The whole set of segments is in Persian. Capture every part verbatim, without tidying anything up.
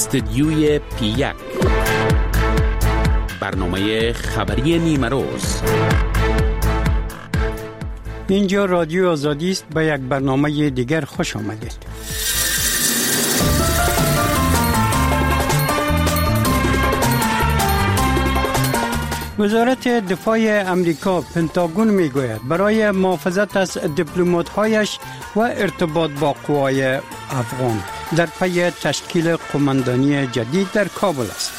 استدیوی پی یک، برنامه خبری نیمه روز. اینجا رادیو آزادی است. به یک برنامه دیگر خوش آمدید. وزارت دفاع امریکا پنتاگون میگوید برای محافظت از دیپلمات‌هایش و ارتباط با قوای افغان در پی تشکیل قماندانی جدید در کابل است.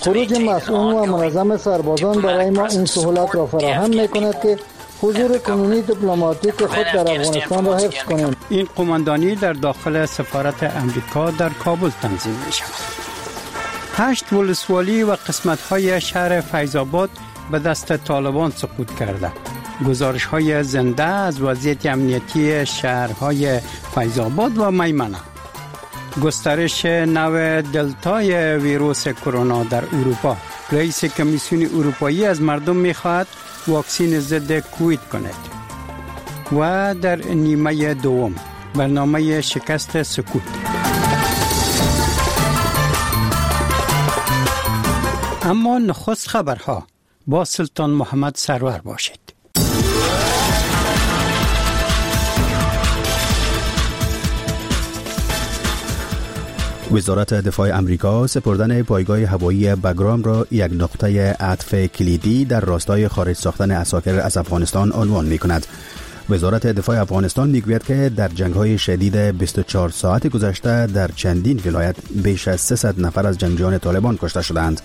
خروج مسئول و منظم سربازان برای ما این سهولت را فراهم می‌کند که حضور کنونی دیپلماتیک خود در افغانستان را حفظ کنیم. این قماندانی در داخل سفارت امریکا در کابل تنظیم می‌شود. هشت ولسوالی و قسمت‌های شهر فیض آباد به دست طالبان سقوط کرده. گزارش‌های زنده از وضعیت امنیتی شهرهای فیض آباد و میمنه. گسترش نوع دلتای ویروس کرونا در اروپا. رئیس کمیسیون اروپایی از مردم می‌خواهد واکسین ضد کووید کند. و در نیمه دوم برنامه شکست سکوت. اما نخست خبرها با سلطان محمد سرور باشید. وزارت دفاع امریکا سپردن پایگاه هوایی بگرام را یک نقطه عطف کلیدی در راستای خارج ساختن عساکر از افغانستان عنوان می کند. وزارت دفاع افغانستان میگوید که در جنگ‌های شدید بیست و چهار ساعت گذشته در چندین ولایت بیش از سیصد نفر از جنگجویان طالبان کشته شدند.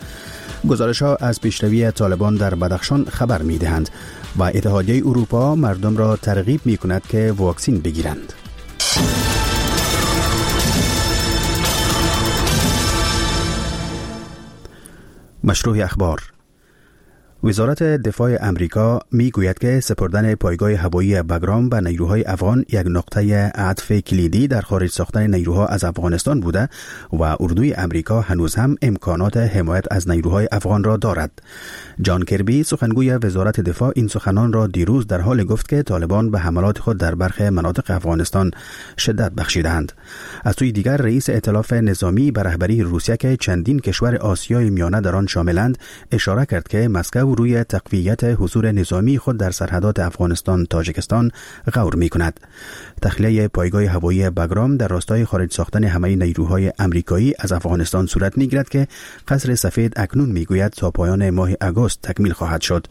گزارش‌ها از پیشروی طالبان در بدخشان خبر می‌دهند و اتحادیه اروپا مردم را ترغیب می‌کند که واکسن بگیرند. مشروع اخبار. وزارت دفاع امریکا میگوید که سپردن پایگاه هوایی بگرام به نیروهای افغان یک نقطه عطف کلیدی در خارج ساختن نیروها از افغانستان بوده و اردوی امریکا هنوز هم امکانات حمایت از نیروهای افغان را دارد. جان کربی سخنگوی وزارت دفاع این سخنان را دیروز در حال گفت که طالبان به حملات خود در برخی مناطق افغانستان شدت بخشیدند. از سوی دیگر رئیس ائتلاف نظامی به رهبری روسیه که چندین کشور آسیای میانه در آن شاملند اشاره کرد که مسکو روی تقویت حضور نظامی خود در سرحدات افغانستان تاجیکستان غور می کند. تخلیه پایگاه هوایی بگرام در راستای خارج ساختن همه نیروهای امریکایی از افغانستان صورت می گیرد که قصر سفید اکنون می گوید تا پایان ماه آگوست تکمیل خواهد شد.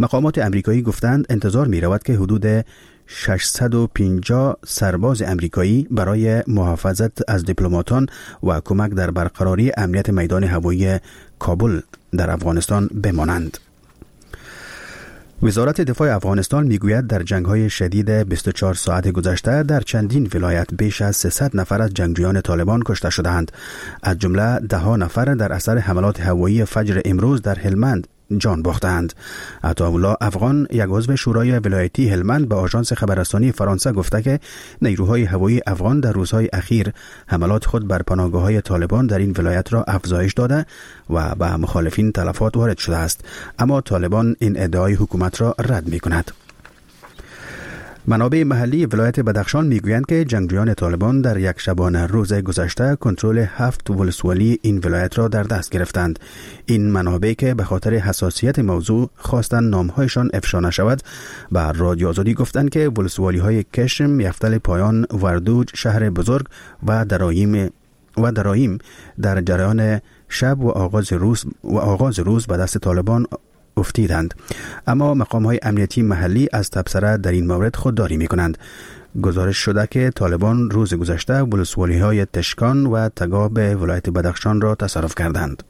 مقامات امریکایی گفتند انتظار می رود که حدود ششصد و پنجاه سرباز امریکایی برای محافظت از دیپلماتان و کمک در برقراری امنیت میدان هوایی کابل در افغانستان بمانند. وزارت دفاع افغانستان میگوید در جنگ‌های شدید بیست و چهار ساعت گذشته در چندین ولایت بیش از سیصد نفر از جنگجویان طالبان کشته شده‌اند. از جمله ده ها نفر در اثر حملات هوایی فجر امروز در هلمند جان باختند. عطاالله افغان یک عضو شورای ولایتی هلمند به آژانس خبررسانی فرانسه گفته که نیروهای هوایی افغان در روزهای اخیر حملات خود بر پناهگاه‌های طالبان در این ولایت را افزایش داده و به مخالفین تلفات وارد شده است. اما طالبان این ادعای حکومت را رد می‌کند. منابع محلی ولایت بدخشان میگویند که جنگجویان طالبان در یک شبانه روز گذشته کنترل هفت ولسوالی این ولایت را در دست گرفتند. این منابع که به خاطر حساسیت موضوع خواستند نامهایشان افشا نشود به رادیو آزادی گفتند که ولسوالی های کشم، یفتل پایان، وردوج، شهر بزرگ و درایم و درایم در جریان شب و آغاز روز و آغاز روز به دست طالبان افتیدند. اما مقام های امنیتی محلی از تبصره در این مورد خودداری می کنند. گزارش شده که طالبان روز گذشته ولسوالی های تشکان و تگاب ولایت بدخشان را تصرف کردند.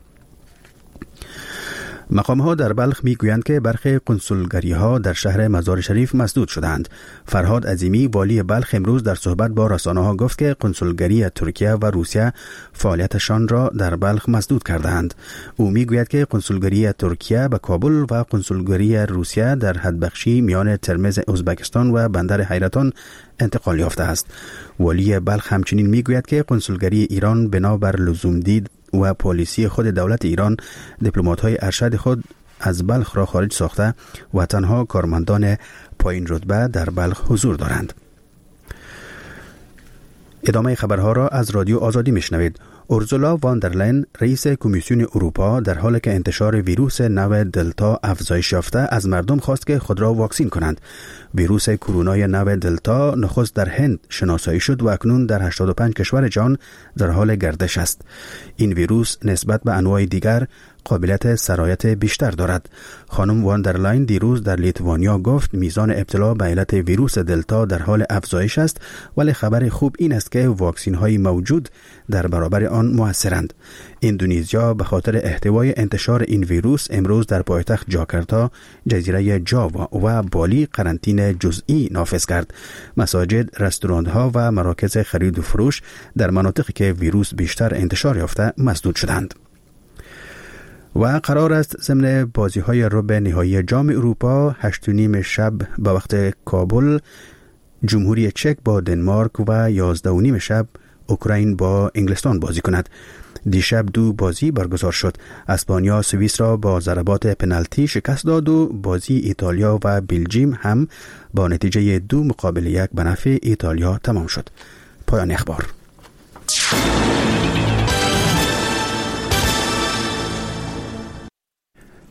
مقام ها در بلخ می گویند که برخی کنسولگری ها در شهر مزار شریف مسدود شدند. فرهاد عظیمی والی بلخ امروز در صحبت با رسانه ها گفت که کنسولگری ترکیه و روسیه فعالیتشان را در بلخ مسدود کردند. او می گوید که کنسولگری ترکیه به کابل و کنسولگری روسیه در حدبخشی میان ترمز ازبکستان و بندر حیرتان انتقال یافته است. والی بلخ همچنین می گوید که کنسولگری ایران بنابر لزوم دید و پالیسی خود دولت ایران دیپلمات‌های ارشد خود از بلخ را خارج ساخته و تنها کارمندان پایین رتبه در بلخ حضور دارند. ادامه خبرها را از رادیو آزادی میشنوید. اورزولا واندرلین، رئیس کمیسیون اروپا، در حالی که انتشار ویروس نو دلتا افزایش یافته، از مردم خواست که خود را واکسین کنند. ویروس کرونای نو دلتا نخست در هند شناسایی شد و اکنون در هشتاد و پنج کشور جهان در حال گردش است. این ویروس نسبت به انواع دیگر قابلیت سرایت بیشتر دارد. خانم واندرلاین دیروز در لیتوانیا گفت میزان ابتلا به علت ویروس دلتا در حال افزایش است، ولی خبر خوب این است که واکسین های موجود در برابر آن موثرند. اندونزیا به خاطر احتوای انتشار این ویروس امروز در پایتخت جاکارتا، جزیره جاوا و بالی قرنطینه جزئی نافذ کرد. مساجد، رستوران ها و مراکز خرید و فروش در مناطقی که ویروس بیشتر انتشار یافته مسدود شدند. و قرار است ضمن بازی‌های ربع نهایی جام اروپا هشت و نیم شب به وقت کابل جمهوری چک با دنمارک و یازده و نیم شب اوکراین با انگلستان بازی کند. دیشب دو بازی برگزار شد. اسپانیا سوئیس را با ضربات پنالتی شکست داد و بازی ایتالیا و بلژیم هم با نتیجه دو مقابل یک به نفع ایتالیا تمام شد. پایان اخبار.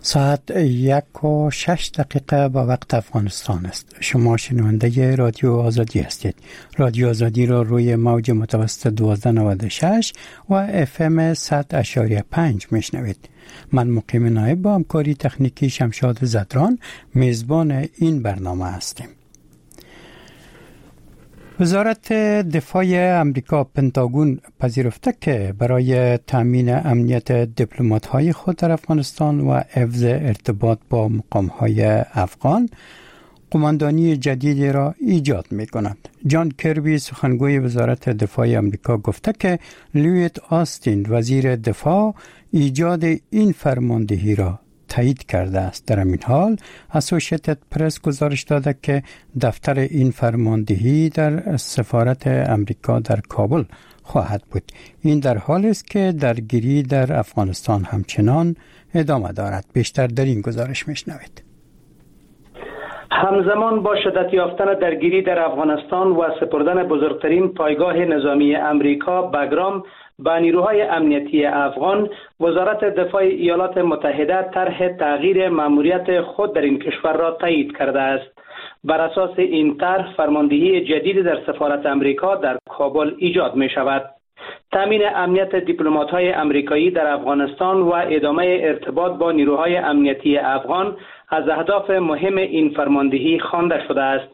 ساعت یک و شش دقیقه با وقت افغانستان است. شما شنونده رادیو آزادی هستید. رادیو آزادی را روی موج متوسط دوازده نود و شش و اف ام صد اعشاریه پنج میشنوید. من مقیم نایب با همکاری تکنیکی شمشاد زدران میزبان این برنامه هستیم. وزارت دفاع امریکا پنتاگون پذیرفته که برای تامین امنیت دیپلمات‌های خود در افغانستان و حفظ ارتباط با مقام‌های افغان قماندانی جدیدی را ایجاد می‌کند. جان کربی سخنگوی وزارت دفاع امریکا گفته که لوید آستین وزیر دفاع ایجاد این فرماندهی را تایید کرده است. در این حال اسوسییتد پرس گزارش داده که دفتر این فرماندهی در سفارت امریکا در کابل خواهد بود. این در حال است که درگیری در افغانستان همچنان ادامه دارد. بیشتر در این گزارش میشنوید. همزمان با شدت یافتن درگیری در افغانستان و سپردن بزرگترین پایگاه نظامی امریکا بگرام با نیروهای امنیتی افغان، وزارت دفاع ایالات متحده طرح تغییر ماموریت خود در این کشور را تایید کرده است. بر اساس این طرح، فرماندهی جدید در سفارت امریکا در کابل ایجاد می شود. تامین امنیت دیپلمات‌های امریکایی در افغانستان و ادامه ارتباط با نیروهای امنیتی افغان از اهداف مهم این فرماندهی خوانده شده است.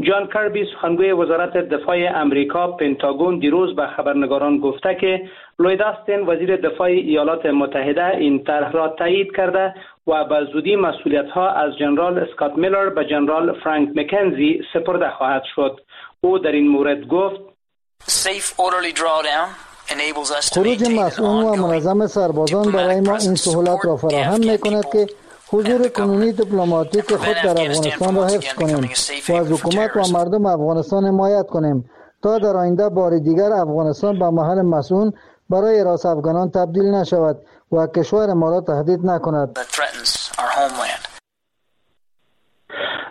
جان کربی سخنگوی وزارت دفاع امریکا پنتاگون دیروز به خبرنگاران گفته که لوید آستین وزیر دفاع ایالات متحده این طرح را تایید کرده و به زودی مسئولیت‌ها از جنرال اسکات میلر به جنرال فرانک مکنزی سپرده خواهد شد. او در این مورد گفت: خروج مسئول و منظم سربازان برای ما این سهولت را فراهم می‌کند که حضور کنونی دیپلماتیک خود در افغانستان را حفظ کنیم و از حکومت و مردم افغانستان حمایت کنیم تا در آینده بار دیگر افغانستان به محل مسئول برای راس افغانان تبدیل نشود و کشور ما را تهدید نکند.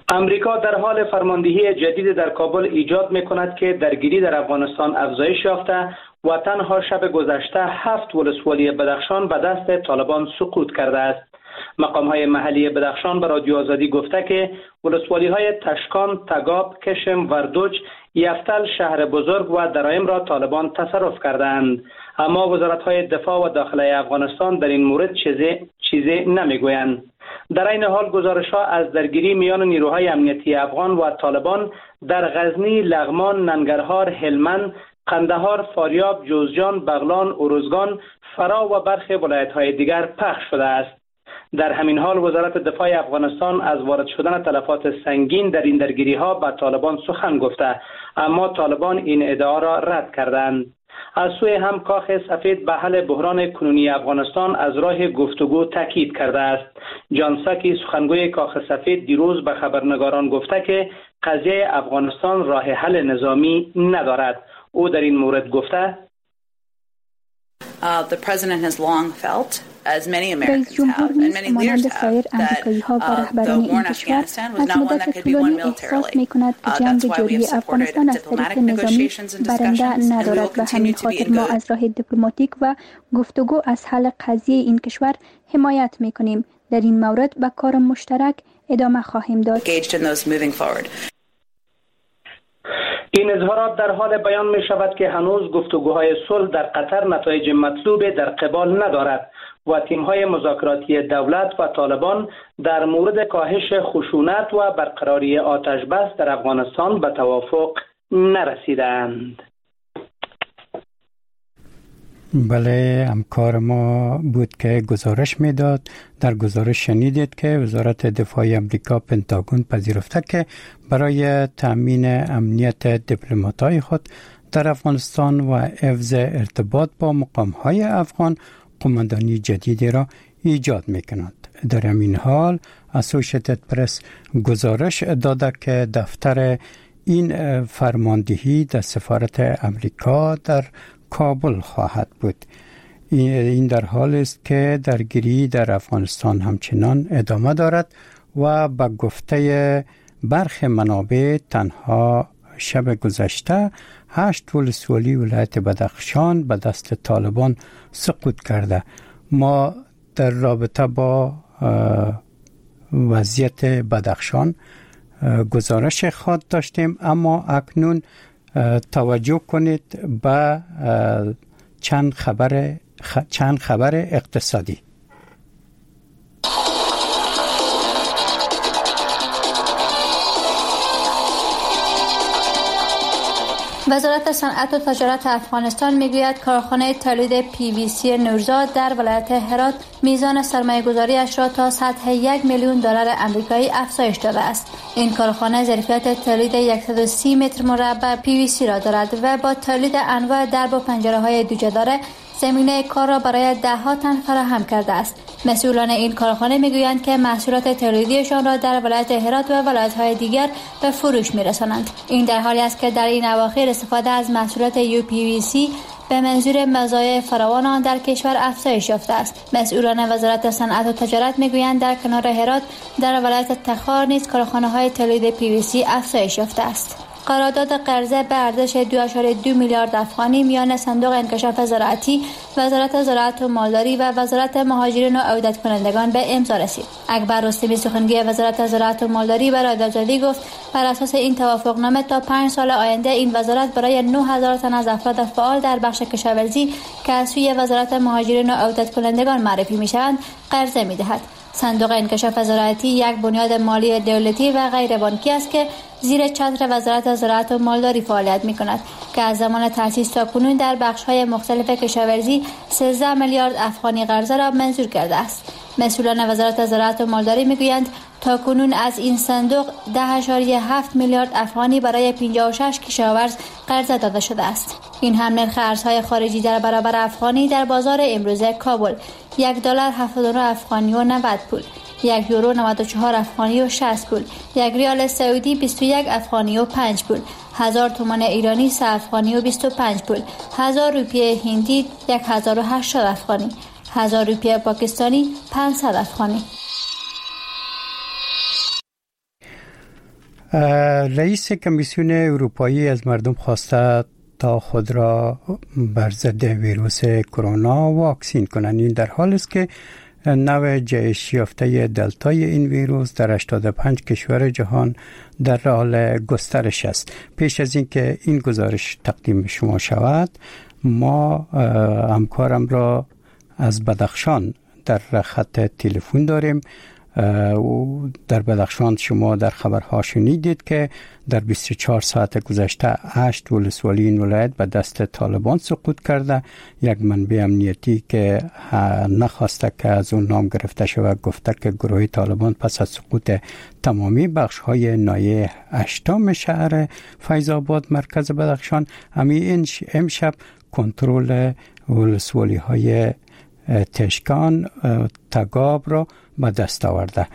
امریکا در حال فرماندهی جدید در کابل ایجاد می‌کند که درگیری در افغانستان افزایش یافته و تنها شب گذشته هفت ولسوالی بدخشان به دست طالبان سقوط کرده است. مقام‌های محلی بدخشان به رادیو آزادی گفته که ولسوالی‌های تشکان، تگاب، کشم، وردوج، یفتل، شهر بزرگ و درایم را طالبان تصرف کردند. اما وزارت‌های دفاع و داخله افغانستان در این مورد چیزی چیزی نمی‌گویند. در این حال گزارش‌ها از درگیری میان نیروهای امنیتی افغان و طالبان در غزنی، لغمان، ننگرهار، هلمند، قندهار، فاریاب، جوزجان، بغلان، اروزگان، فراه و برخی ولایت‌های دیگر پخش شده است. در همین حال وزارت دفاع افغانستان از وارد شدن تلفات سنگین در این درگیری‌ها به طالبان سخن گفته، اما طالبان این ادعا را رد کردند. از سوی هم کاخ سفید به حل بحران کنونی افغانستان از راه گفتگو تاکید کرده است. جان ساکی سخنگوی کاخ سفید دیروز به خبرنگاران گفته که قضیه افغانستان راه حل نظامی ندارد. او در این مورد گفته: رئیس جمهور نیز مانند سایر امریکایی‌ها و رهبران این کشور از مدت طولانی احساس می‌کند که جنگ جاری افغانستان از طریق نظامی برنده ندارد و همین خاطر ما از راه دیپلماتیک و گفتگو از حل قضیه این کشور حمایت می‌کنیم. در این مورد به کار مشترک ادامه خواهیم داد. این اظهارات در حال بیان می شود که هنوز گفتگوهای صلح در قطر نتایج مطلوب در قبال ندارد و تیم‌های مذاکراتی دولت و طالبان در مورد کاهش خشونت و برقراری آتش بس در افغانستان به توافق نرسیدند. بله، همکار ما بود که گزارش میداد. در گزارش شنیدید که وزارت دفاع امریکا پنتاگون پذیرفته که برای تامین امنیت دیپلمات‌های خود در افغانستان و حفظ ارتباط با مقام‌های افغان قوماندانی جدیدی را ایجاد می‌کنند. در همین حال اسوسییتد پرس گزارش داده که دفتر این فرماندهی در سفارت امریکا در کابل خواهد بود. این در حال است که درگیری در افغانستان همچنان ادامه دارد و به گفته برخی منابع تنها شب گذشته هشت ولسوالی ولایت بدخشان به دست طالبان سقوط کرده. ما در رابطه با وضعیت بدخشان گزارش خود داشتیم، اما اکنون توجه کنید به چند خبر چند خبر اقتصادی. وزارت صنعت و تجارت افغانستان میگوید کارخانه تولید پی وی سی نورزاد در ولایت هرات میزان سرمایه‌گذاری‌اش را تا سطح یک میلیون دلار آمریکایی افزایش داده است. این کارخانه ظرفیت تولید صد و سی متر مربع پی وی سی را دارد و با تولید انواع درب و پنجره‌های دوجداره زمینه کار را برای ده ها تن فراهم کرده است. مسئولان این کارخانه میگویند که محصولات تولیدیشان را در ولایت هرات و ولایت‌های دیگر به فروش می‌رسانند. این در حالی است که در این اواخر استفاده از محصولات یو پی وی سی به منظور مزایای فراوان آن در کشور افزایش یافته است. مسئولان وزارت صنعت و تجارت میگویند در کنار هرات در ولایت تخار نیز کارخانه‌های تولید پی وی سی افزایش یافته است. قرارداد قرضه به ارزش دو اعشاریه دو میلیارد افغانی میان صندوق انکشاف زراعتی، وزارت زراعت و مالداری و وزارت مهاجرین و عودت کنندگان به امضا رسید. اکبر رستمی سخنگوی وزارت زراعت و مالداری برای آزادی گفت بر اساس این توافقنامه تا پنج سال آینده این وزارت برای نه هزار تن از افراد فعال در بخش کشاورزی که از سوی وزارت مهاجرین و عودت کنندگان معرفی می‌شوند قرضه می‌دهد. صندوق انکشاف زراعتی یک بنیاد مالی دولتی و غیر بانکی است که زیر چتر وزارت زراعت و مالداری فعالیت می‌کند که از زمان تأسیس تا کنون در بخش‌های مختلف کشاورزی سیزده میلیارد افغانی قرضه را منظور کرده است. مسئولان وزارت زراعت و مالداری می‌گویند تا کنون از این صندوق ده اعشاریه هفت میلیارد افغانی برای پنجاه و شش کشاورز قرضه داده شده است. این هم نرخ ارزهای خارجی در برابر افغانی در بازار امروز کابل: یک دلار هفتاد و نه افغانی و نود پول، یک یورو نود و چهار افغانی و شصت پول، یک ریال سعودی بیست و یک افغانی و پنج پول، هزار تومان ایرانی سه افغانی و بیست و پنج پول، هزار روپیه هندی یک هزار و هشتاد افغانی، هزار روپیه پاکستانی پانصد افغانی. رئیس کمیسیون اروپایی از مردم خواسته تا خود را بر ضد ویروس کرونا واکسین کنند. این در حال است که نوع جهش یافته دلتای این ویروس در هشتاد و پنج کشور جهان در حال گسترش است. پیش از اینکه این گزارش تقدیم شما شود، ما همکارم را از بدخشان در خط تلفن داریم. در بدخشان شما در خبرها شنیدید که در بیست و چهار ساعت گذشته هشت ولسوالی این ولایت به دست طالبان سقوط کرده. یک منبع امنیتی که نخواسته که از اون نام گرفته شود گفته که گروه طالبان پس از سقوط تمامی بخش های ناحیه هشتم شهر فیض آباد مرکز بدخشان همین امشب کنترل ولسوالی های تشکان تگاب را به دست آورده.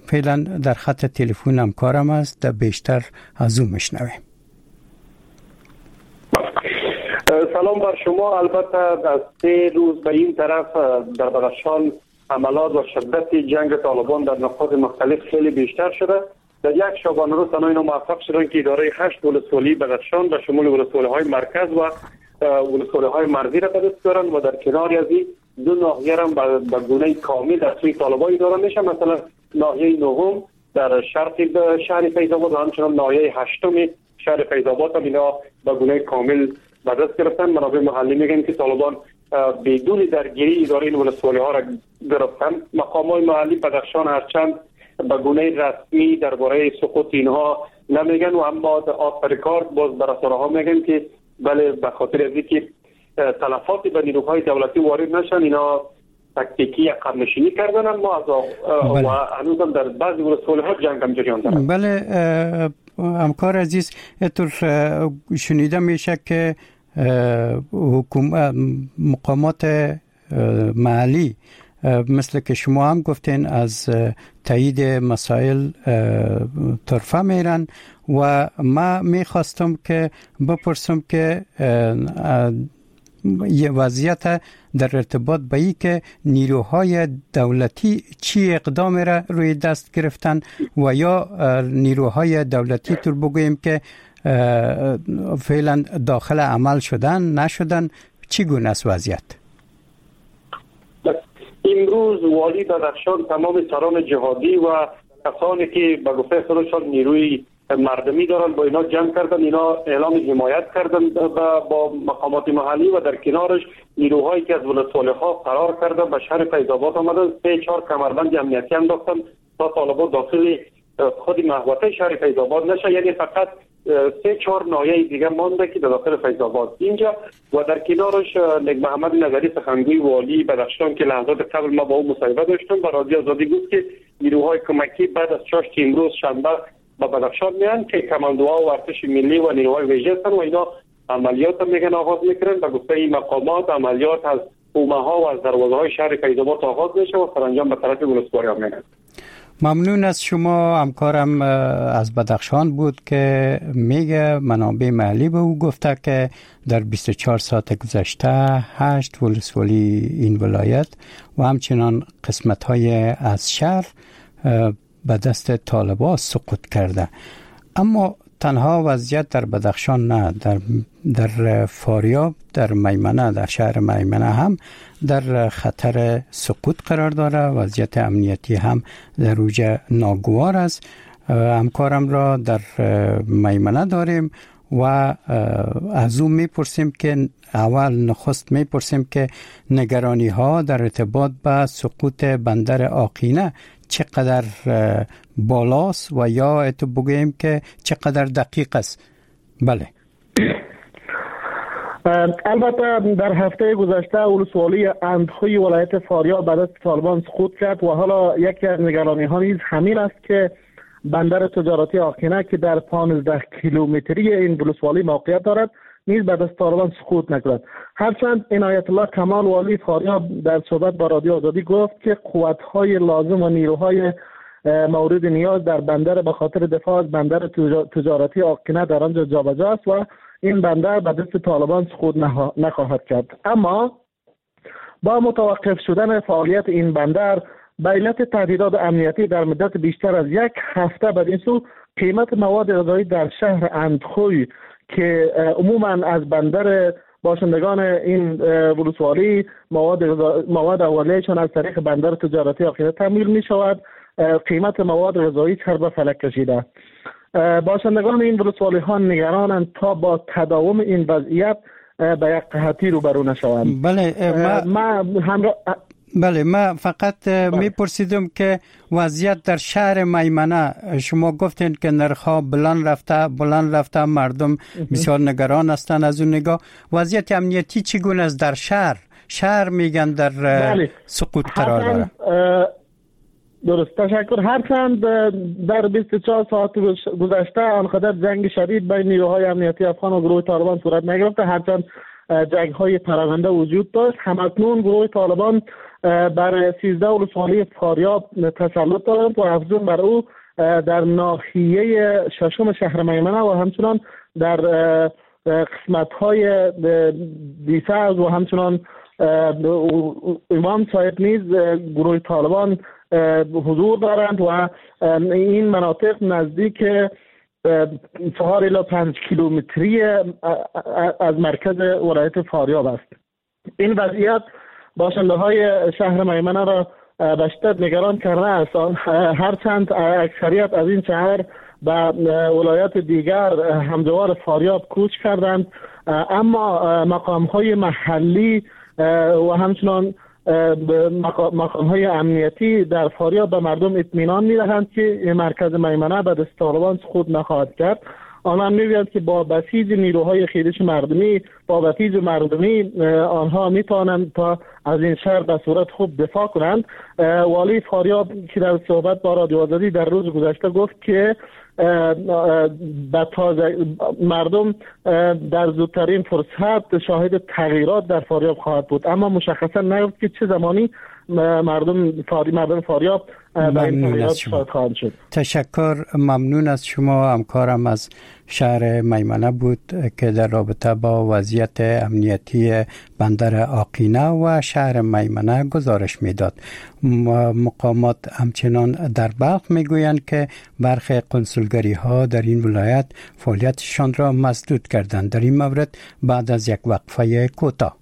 فعلا در خط تلفن همکارم است، در بیشتر از او میشنویم. سلام بر شما. البته از سه روز به این طرف در بدخشان حملات و شدت جنگ طالبان در نقاط مختلف خیلی بیشتر شده. در یک شبانه روز تنها اینا موفق شدن که اداره هشت ولسوالی بدخشان به شمول ولسوالی‌های مرکز و ولسوالی‌های مرزی را به دست بیارن و در کنار از این دو ناحیه را به گونه کامل در سوی طالبان اداره میشه. مثلا ناحیه نهم در شرق شهر فیض آباد و همچنان ناحیه هشتم شهر فیض آباد هم اینا به گونه کامل به دست گرفتن. منابع محلی میگن که طالبان بدون درگیری اداره این ولسوالی‌ها را گرفتن. مقامات محلی بدخشان هرچند به گونه رسمی درباره سقوط اینها نمیگن و اما آخر کار باز بر رسانه‌ها میگن که بله، به خاطر از اینکه تلفات به نیروهای دولتی وارد نشن اینا تکتیکی عقب نشینی کردن، اما از و هنوزم در بعضی ولسوالی‌ها جنگ هم جریان داره. بله همکار عزیز، اینطور شنیده میشه که حکومت مقامات محلی مثل که شما هم گفتین از تایید مسائل طرفه میرن و ما میخواستم که بپرسم که یه وضعیت در ارتباط به ای که نیروهای دولتی چی اقدام را روی دست گرفتن و یا نیروهای دولتی طور بگوییم که فعلا داخل عمل شدن نشدن، چی گونه است وضعیت؟ امروز والی بدخشان تمام سران جهادی و کسانی که به گفته خودشان نیروی مردمی دارن با اینا جمع کردن، اینا اعلام حمایت کردن با مقامات محلی و در کنارش نیروهایی که از ولسوالی‌ها فرار کردن به شهر فیض آباد آمدن، سه چهار کمربند امنیتی انداختن تا طالبان داخل خود محوطه شهر فیض آباد نشه. یعنی فقط سه چهار ناحیه دیگه مانده که در داخل فیض آباد اینجا و در کنارش نیک محمد نظری سخنگوی والی بدخشان که لحظات قبل ما با او مصاحبه داشتم با رادیو آزادی گفت که نیروهای کمکی بعد از چاشت امروز شنبه با بدخشان میان که کماندوها و ارتش ملی و نیروهای ویژه هستن و اینا عملیات هم میگن آغاز میکنن. به گفته این مقامات عملیات از حومه ها و از دروازه های شهر فیض آباد آغاز میشه و سرانجام به طرف ولسوالی ها میرن. ممنون از شما. همکارم از بدخشان بود که میگه منابع محلی به او گفته که در بیست و چهار ساعت گذشته هشت ولسوالی این ولایت و همچنان قسمت های از شهر به دست طالبان سقوط کرده. اما تنها وضعیت در بدخشان نه، در در فاریاب، در میمنه، در شهر میمنه هم در خطر سقوط قرار داره. وضعیت امنیتی هم در اوج ناگوار است. همکارم را در میمنه داریم و از او میپرسیم که اول نخست میپرسیم که نگرانی ها در ارتباط به سقوط بندر آقینه چقدر بالاست و یا اتو بگوییم که چقدر دقیق است. بله، البته در هفته گذشته ولسوالی اندخوی ولایت فاریاب به دست طالبان سقوط کرد و حالا یکی از نگرانی ها نیز همین است که بندر تجارتی آقینه که در پانزده کیلومتری این ولسوالی موقعیت دارد نیز به دست طالبان سقوط نکند. هرچند عنایت الله کمال والی فاریاب در صحبت با رادیو آزادی گفت که قوت‌های لازم و نیروهای مورد نیاز در بندر به خاطر دفاع از بندر تجارتی آقینه در آنجا جابجا است و این بندر به دست طالبان سقوط نخواهد کرد. اما با متوقف شدن فعالیت این بندر به علت تهدیدات امنیتی در مدت بیشتر از یک هفته بدین سو قیمت مواد غذایی در شهر اندخوی که عموما از بندر باشندگان این ولسوالی مواد مواد اولیه‌شان از طریق بندر تجارتی آقینه تامین می شود، قیمت مواد غذایی سر به فلک کشیده. باشندگان این ولسوالی ها نگرانند تا با تداوم این وضعیت به یک قحطی روبرو نشوند. بله ما همراه بله ما فقط میپرسیدم که وضعیت در شهر میمنه، شما گفتین که نرخ‌ها بلند رفته بلند رفته، مردم بسیار نگران هستند از اون نگاه. وضعیت امنیتی چگونه است در شهر؟ شهر میگن در بله. سقوط قرار داره. درست، تشکر. هرچند در بیست و چهار ساعت گذشته آنقدر جنگ شدید بین نیروهای امنیتی افغان و گروه طالبان صورت نگرفته، هرچند جنگ های پراکنده وجود داشت. همکنون گروه طالبان بر سیزده ولسوالی فاریاب تسلط دارند و افزون بر او در ناحیه ششم شهر میمنه و همچنان در قسمت های دیسرز و همچنان امام صاحب نیز گروه طالبان حضور دارند و این مناطق نزدیک چهار الی پنج کیلومتری از مرکز ولایت فاریاب است. این وضعیت باشنده های شهر میمنه را به شدت نگران کرده است. هرچند اکثریت از این شهر به ولایت دیگر همجوار فاریاب کوچ کردند، اما مقام های محلی و همچنان مقام های امنیتی در فاریاب به مردم اطمینان می‌دهند که مرکز میمنه به دست طالبان سقوط نخواهد کرد. آنها می‌گویند که با بسیج نیروهای خیرش مردمی، با بسیج مردمی آنها می‌توانند تا از این شهر به صورت خوب دفاع کنند. والی فاریاب که در صحبت با رادیو آزادی در روز گذشته گفت که به تازه مردم در زودترین فرصت شاهد تغییرات در فاریاب خواهد بود، اما مشخصا نگفت که چه زمانی مردم فاری مردم فاریاب به این تغییرات شاهد خواهند شد. تشکر، ممنون از شما. همکارم از شهر میمنه بود که در رابطه با وضعیت امنیتی بندر آقینه و شهر میمنه گزارش میداد. مقامات همچنان در بلخ میگویند که برخی قنسولگری ها در این ولایت فعالیتشان را مسدود کردند. در این مورد بعد از یک وقفه کوتاه.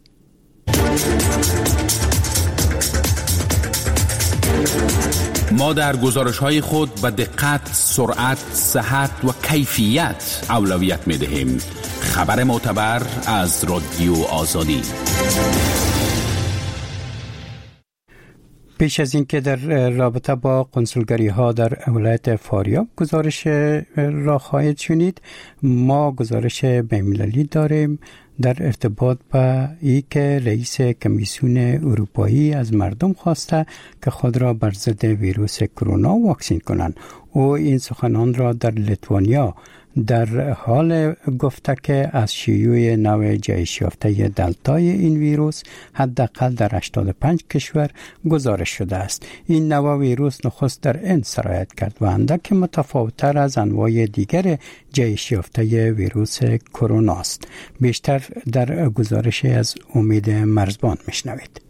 ما در گزارش‌های خود به دقت، سرعت، صحت و کیفیت اولویت می‌دهیم. خبر معتبر از رادیو آزادی. پیش از اینکه در رابطه با قنسولگری ها در ولایت فاریاب گزارش را خواهید شنید، ما گزارش بین‌المللی داریم در ارتباط با ای که رئیس کمیسیون اروپایی از مردم خواسته که خود را بر ضد ویروس کرونا واکسین کنند. او این سخنان را در لیتوانیا در حال گفته که از شیوع نوع جهش یافته دلتای این ویروس حداقل در هشتاد و پنج کشور گزارش شده است. این نوع ویروس نخست در هند سرایت کرد و اندک متفاوت‌تر از انواع دیگر جهش یافته ویروس کرونا است. بیشتر در گزارش از امید مرزبان میشنوید.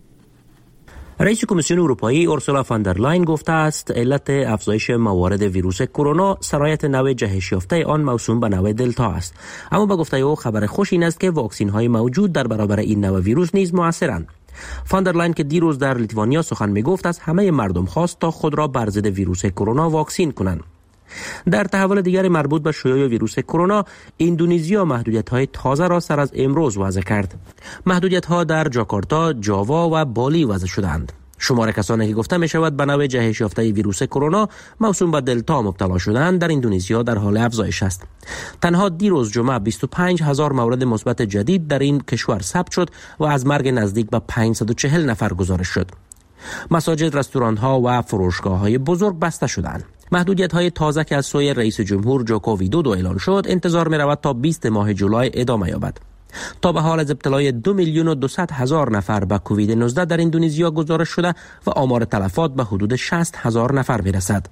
رئیس کمیسیون اروپایی اورسولا فون در لاین گفته است علت افزایش موارد ویروس کرونا سرایت نوع جهش یافته آن موسوم به نوع دلتا است. اما به گفته او خبر خوش این است که واکسین های موجود در برابر این نوع ویروس نیز موثرند. فون در لاین که دیروز در لیتوانیا سخن می گفت از همه مردم خواست تا خود را بر ضد ویروس کرونا واکسین کنند. در تحول دیگر مربوط به شیوع ویروس کرونا، اندونزیا محدودیت‌های تازه را سر از امروز وضع کرد. محدودیت‌ها در جاکارتا، جاوا و بالی وضع شدند. شمار کسانی که گفته می‌شود به نوع جهش یافته ویروس کرونا موسوم به دلتا مبتلا شدند در اندونزیا در حال افزایش است. تنها دیروز جمعه بیست و پنج هزار مورد مثبت جدید در این کشور ثبت شد و از مرگ نزدیک به پانصد و چهل نفر گزارش شد. مساجد، رستوران‌ها و فروشگاه‌های بزرگ بسته شدند. محدودیت‌های تازه که از سوی رئیس جمهور جوکو ویدودو اعلان شد، انتظار می‌رود تا بیست ماه جولای ادامه یابد. تا به حال از ابتلای دو میلیون و دویست هزار نفر به کووید نوزده در اندونزیا گزارش شده و آمار تلفات به حدود شصت هزار نفر می‌رسد.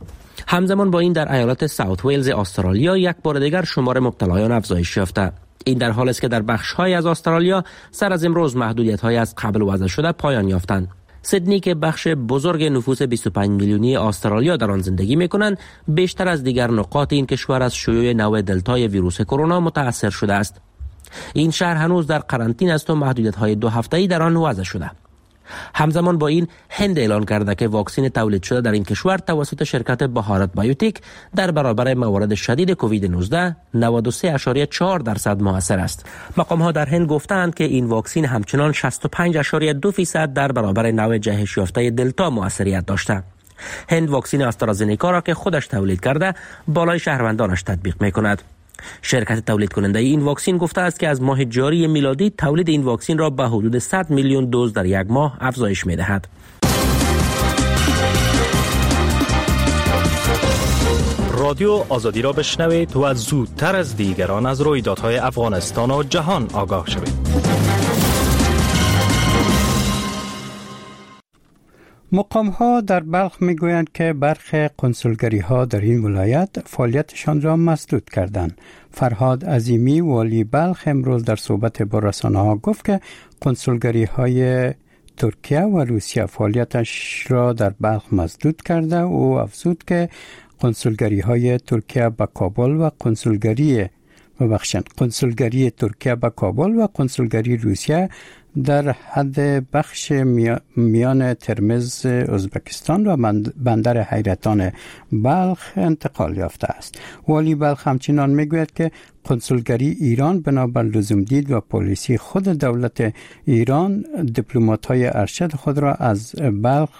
همزمان با این در ایالت ساوت ویلز استرالیا یک بار دیگر شمار مبتلایان افزایش یافته. این در حال است که در بخش‌های از استرالیا سر از امروز محدودیت‌های از قبل وضع شده پایان یافتند. سیدنی که بخش بزرگ نفوس بیست و پنج میلیونی استرالیا در آن زندگی می‌کنند، بیشتر از دیگر نقاط این کشور از شیوع نوع دلتای ویروس کرونا متأثر شده است. این شهر هنوز در قرنطینه است و محدودیت‌های دو هفته‌ای در آن وضع شده. همزمان با این هند اعلان کرده که واکسن تولید شده در این کشور توسط شرکت بهارت بایوتیک در برابر موارد شدید کووید نوزده نود و سه اعشاریه چهار درصد موثر است. مقام‌ها در هند گفتند که این واکسن همچنان شصت و پنج اعشاریه دو درصد در برابر نوع جهش یافته دلتا موثریت داشته. هند واکسن آسترازنیکا را که خودش تولید کرده بالای شهروندانش تطبیق می‌کند. شرکت تولید کننده این واکسن گفته است که از ماه جاری میلادی تولید این واکسن را به حدود صد میلیون دوز در یک ماه افزایش می‌دهد. رادیو آزادی را بشنوید و زودتر از دیگران از رویدادهای افغانستان و جهان آگاه شوید. مقام ها در بلخ میگویند که برخی کنسولگری ها در این ولایت فعالیتشان را مسدود کردند. فرهاد عظیمی، والی بلخ، امروز در صحبت با رسانه ها گفت که کنسولگری های ترکیه و روسیه فعالیتش را در بلخ مسدود کرده. او افزود که کنسولگری های ترکیه به کابل و کنسولگری ببخشند کنسولگری ترکیه به کابل و کنسولگری روسیه در حد بخش میان ترمز ازبکستان و بندر حیرتان بلخ انتقال یافته است. والی بلخ همچنان میگوید که کنسولگری ایران بنابر لزوم دید و پالیسی خود دولت ایران دیپلمات‌های ارشد خود را از بلخ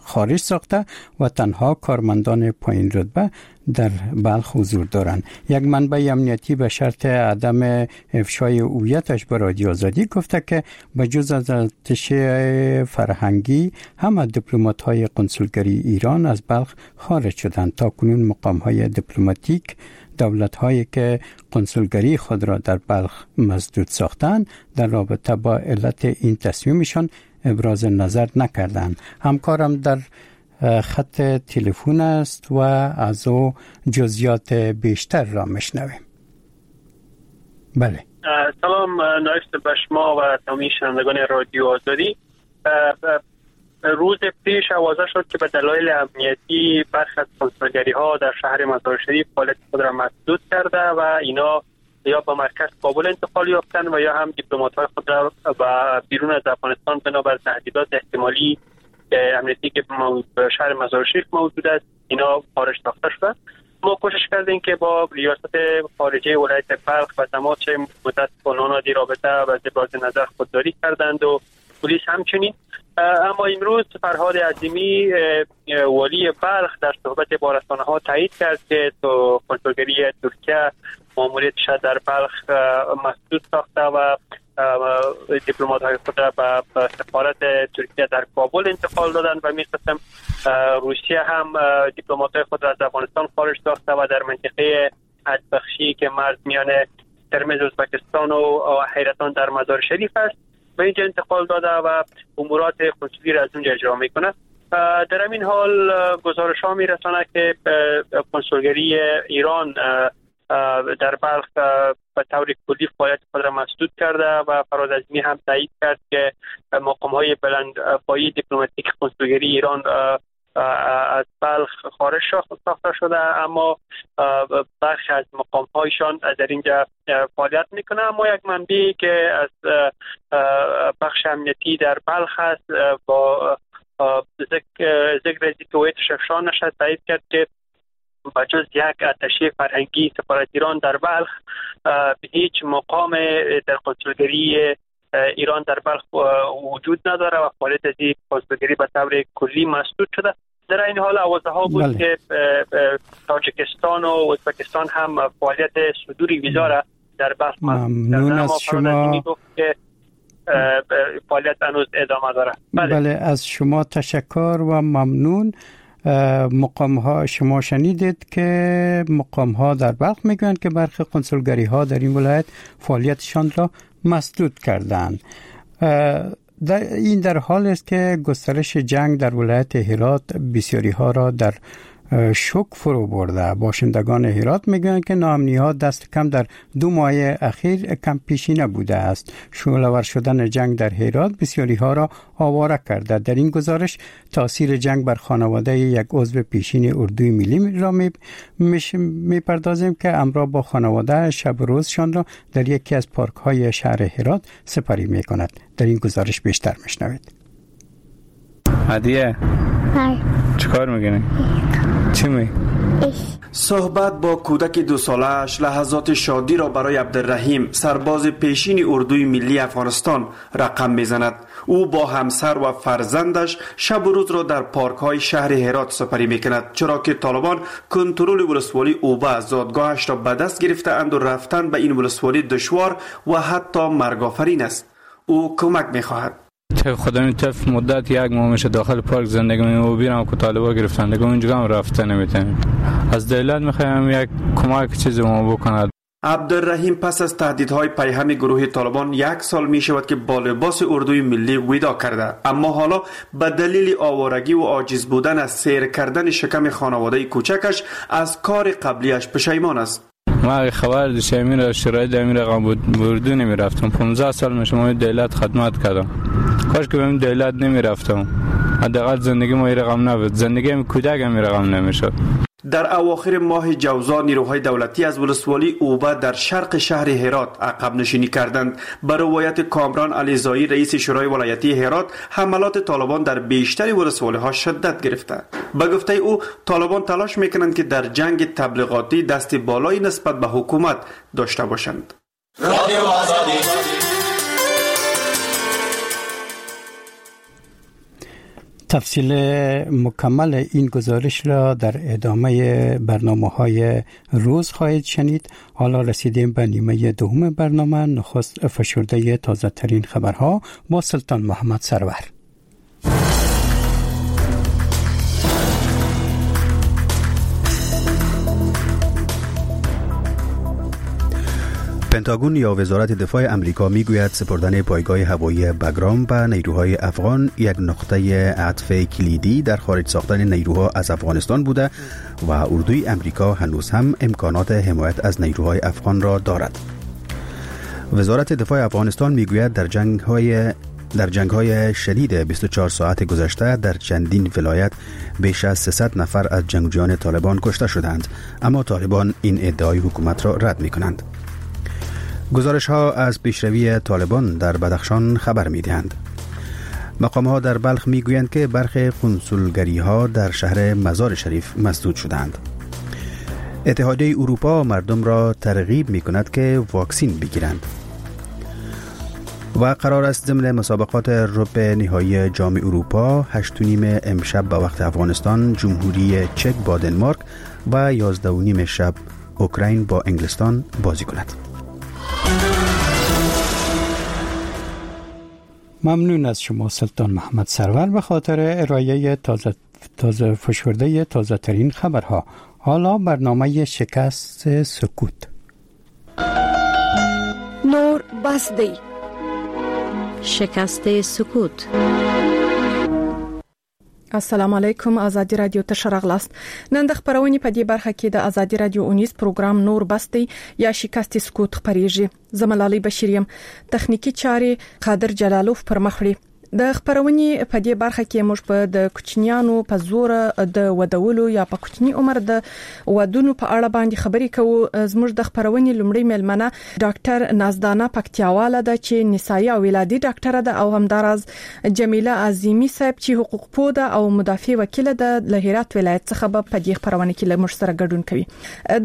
خارج ساخته و تنها کارمندان پایین رتبه در بلخ حضور دارند. یک منبع امنیتی به شرط عدم افشای هویتش به رادیو آزادی گفته که به جز از اتشه فرهنگی همه دیپلمات‌های کنسولگری ایران از بلخ خارج شدند. تا کنون مقام‌های دیپلماتیک دولت‌هایی که کنسولگری خود را در بلخ مسدود ساختند در رابطه با علت این تصمیمشان ابراز نظر نکردند. همکارم در خط تلفن است و از او جزئیات بیشتر را میشنویم. بله، سلام نایفت به شما و تمامی شنوندگان رادیو آزادی. روز پیش آوازه شد که به دلایل امنیتی برخی از کنسولگری ها در شهر مزار شریف فعالیت خود را مسدود کرده و اینا یا به مرکز کابل انتقال یافتند و یا هم دیپلمات های خود را به بیرون از افغانستان بنابر تهدیدات احتمالی امنیتی که به شهر مزار شریف موجود است اینا خارج ساخته شدند. ما کوشش کردیم که با ریاست خارجه ولایت بلخ و تماس متاسفانه دی رابطه و ابراز نظر خودداری کردند و پلیس همچنین. اما امروز فرهاد عظیمی، والی بلخ، در صحبت با رسانه‌ها تایید کرد که تو کنسولگری ترکیه ماموریتش در بلخ مسدود ساخته و دیپلمات‌های خود را به سفارت ترکیه در کابل انتقال دادند و می‌خواستم روسیه هم دیپلمات‌های خود را از افغانستان خارج ساخته و در منطقه حدبخشی که مرز میان ترمز ازبکستان و حیرتان در مزار شریف است به اینجا انتقال داده و امورات کنسولی را از اونجا اجرا میکنه. در همین حال گزارش ها میرسانه که کنسولگری ایران در بلخ به طور کلی فعالیت خود را مسدود کرده و فرهاد عظیمی هم تایید کرد که مقام های بلند پایه دیپلماتیک کنسولگری ایران از بلخ خارج ساخته شده، اما برخی از مقام هایشان در اینجا فعالیت میکنه. اما یک منبعی که از بخش امنیتی در بلخ است با ذکر از اینکه هویتش افشا نشد تایید کرد که بجز یک اتشه فرهنگی سفارت ایران در بلخ به هیچ مقام در کنسولگری ایران در بلخ وجود نداره و فعالیت از این کنسولگری به طور کلی مسدود شده. در این حال آوازه ها بود بله. که تاجیکستان و ازبکستان هم فعالیت صدور ویزا را در بلخ ممنون از شما که فعالیت هنوز ادامه داره. بله. بله از شما تشکر و ممنون. مقام ها شما شنیدید که مقام ها در بلخ میگویند که برخی کنسولگری ها در این ولایت فعالیتشان را مسدود کردند. در این در حال است که گسترش جنگ در ولایت هرات بسیاری ها را در شوک فرو برده. باشندگان هرات میگویند که ناامنی ها دست کم در دو ماه اخیر کم پیشی نبوده است. شعله‌ور شدن جنگ در هرات بسیاری ها را آواره کرده. در این گزارش تاثیر جنگ بر خانواده یک عضو پیشین اردوی ملی را می پردازیم که امرا با خانواده شب روزشان را در یکی از پارک های شهر هرات سپری می کند. در این گزارش بیشتر میشنوید. هدیه چیکار میکنی؟ چی می؟ صحبت با کودک دو سالش لحظات شادی را برای عبدالرحیم، سرباز پیشین اردوی ملی افغانستان، رقم میزند. او با همسر و فرزندش شب و روز را در پارک های شهر هرات سپری میکند، چرا که طالبان کنترل ولسوالی اوبه زادگاهش را به دست گرفته اند و رفتن به این ولسوالی دشوار و حتی مرگ‌آفرین است. او کمک میخواهد. خدا این تف مدت یک ماه میشه داخل پارک زندگی می‌کنیم و بیرم که طالبا گرفتن دیگه اونجا هم رفته نمیتونیم. از دولت میخوایم یک کمک چیزی ما بکند. عبدالرحیم پس از تهدیدهای پیهم گروه طالبان یک سال می شود که با لباس اردوی ملی ودا کرده، اما حالا به دلیل آوارگی و عاجز بودن از سیر کردن شکم خانواده کوچکش از کار قبلیش پشیمان است. ما خبر داشتم این شرایط امیر رقم بود اردو نمی رفتم. پانزده سال میشه ما دولت خدمت کردم. کاش که به این دولت نمی رفتم. حداقل زندگی ما این رقم نبود. زندگی کودک هم این رقم نمیشد. در اواخر ماه جوزا نیروهای دولتی از ولسوالی اوبه در شرق شهر هرات عقب نشینی کردند. به روایت کامران علیزایی رئیس شورای ولایتی هرات، حملات طالبان در بیشتر ولسوالی‌ها شدت گرفته. به گفته او طالبان تلاش میکنند که در جنگ تبلیغاتی دست بالایی نسبت به حکومت داشته باشند. تفصیل مکمل این گزارش را در ادامه برنامه‌های روز خواهید شنید. حالا رسیدیم به نیمه دوم برنامه. نخست فشرده تازه ترین خبرها با سلطان محمد سرور. پنتاگون یا وزارت دفاع امریکا میگوید سپردن پایگاه هوایی بگرام به نیروهای افغان یک نقطه عطف کلیدی در خارج ساختن نیروها از افغانستان بوده و اردوی امریکا هنوز هم امکانات حمایت از نیروهای افغان را دارد. وزارت دفاع افغانستان میگوید در جنگ‌های در جنگ‌های شدید بیست و چهار ساعت گذشته در چندین ولایت بیش از سیصد نفر از جنگجویان طالبان کشته شدند، اما طالبان این ادعای حکومت را رد می‌کنند. گزارش ها از پیشروی طالبان در بدخشان خبر می دهند. مقام ها در بلخ می گویند که برخی کنسولگری ها در شهر مزار شریف مسدود شدند. اتحادیه اروپا مردم را ترغیب می کند که واکسین بگیرند. و قرار است ضمن مسابقات ربع نهایی جام اروپا هشت و نیم امشب به وقت افغانستان جمهوری چک با دنمارک و یازده و نیم شب اوکراین با انگلستان بازی کند. ممنون از شما سلطان محمد سرور به خاطر ارائه تازه تازه فشرده تازه ترین خبرها. حالا برنامه شکست سکوت. نور بس دی. شکست سکوت. السلام علیکم، ازادي رادیو ته ښه راغلاست. نن د خپرونې په دې برخه کې د ازادي رادیو اونیز پروګرام نور بس دی یا شکست سکوت خپرېږي. زه ملالۍ بشیر یم. تخنیکي چارې قادر جلالوف پر مخ وړي. د خپرونې په دې برخه کې موږ په د کوچنیانو په زور د ودولو یا په کوچني عمر د ودونو په اړه باندې خبرې کوو. زموږ د خپرونې لومړۍ میلمنه ډاکټر نازدانه پکتیاواله ده چې نسایي او ولادي ډاکټره ده، او همداراز جمیله عظیمي صاحب چې حقوقپوه ده او مدافع وکیله ده له هرات ولایت څخه به په دې خپرونه کې له موږ سره ګډون کوي.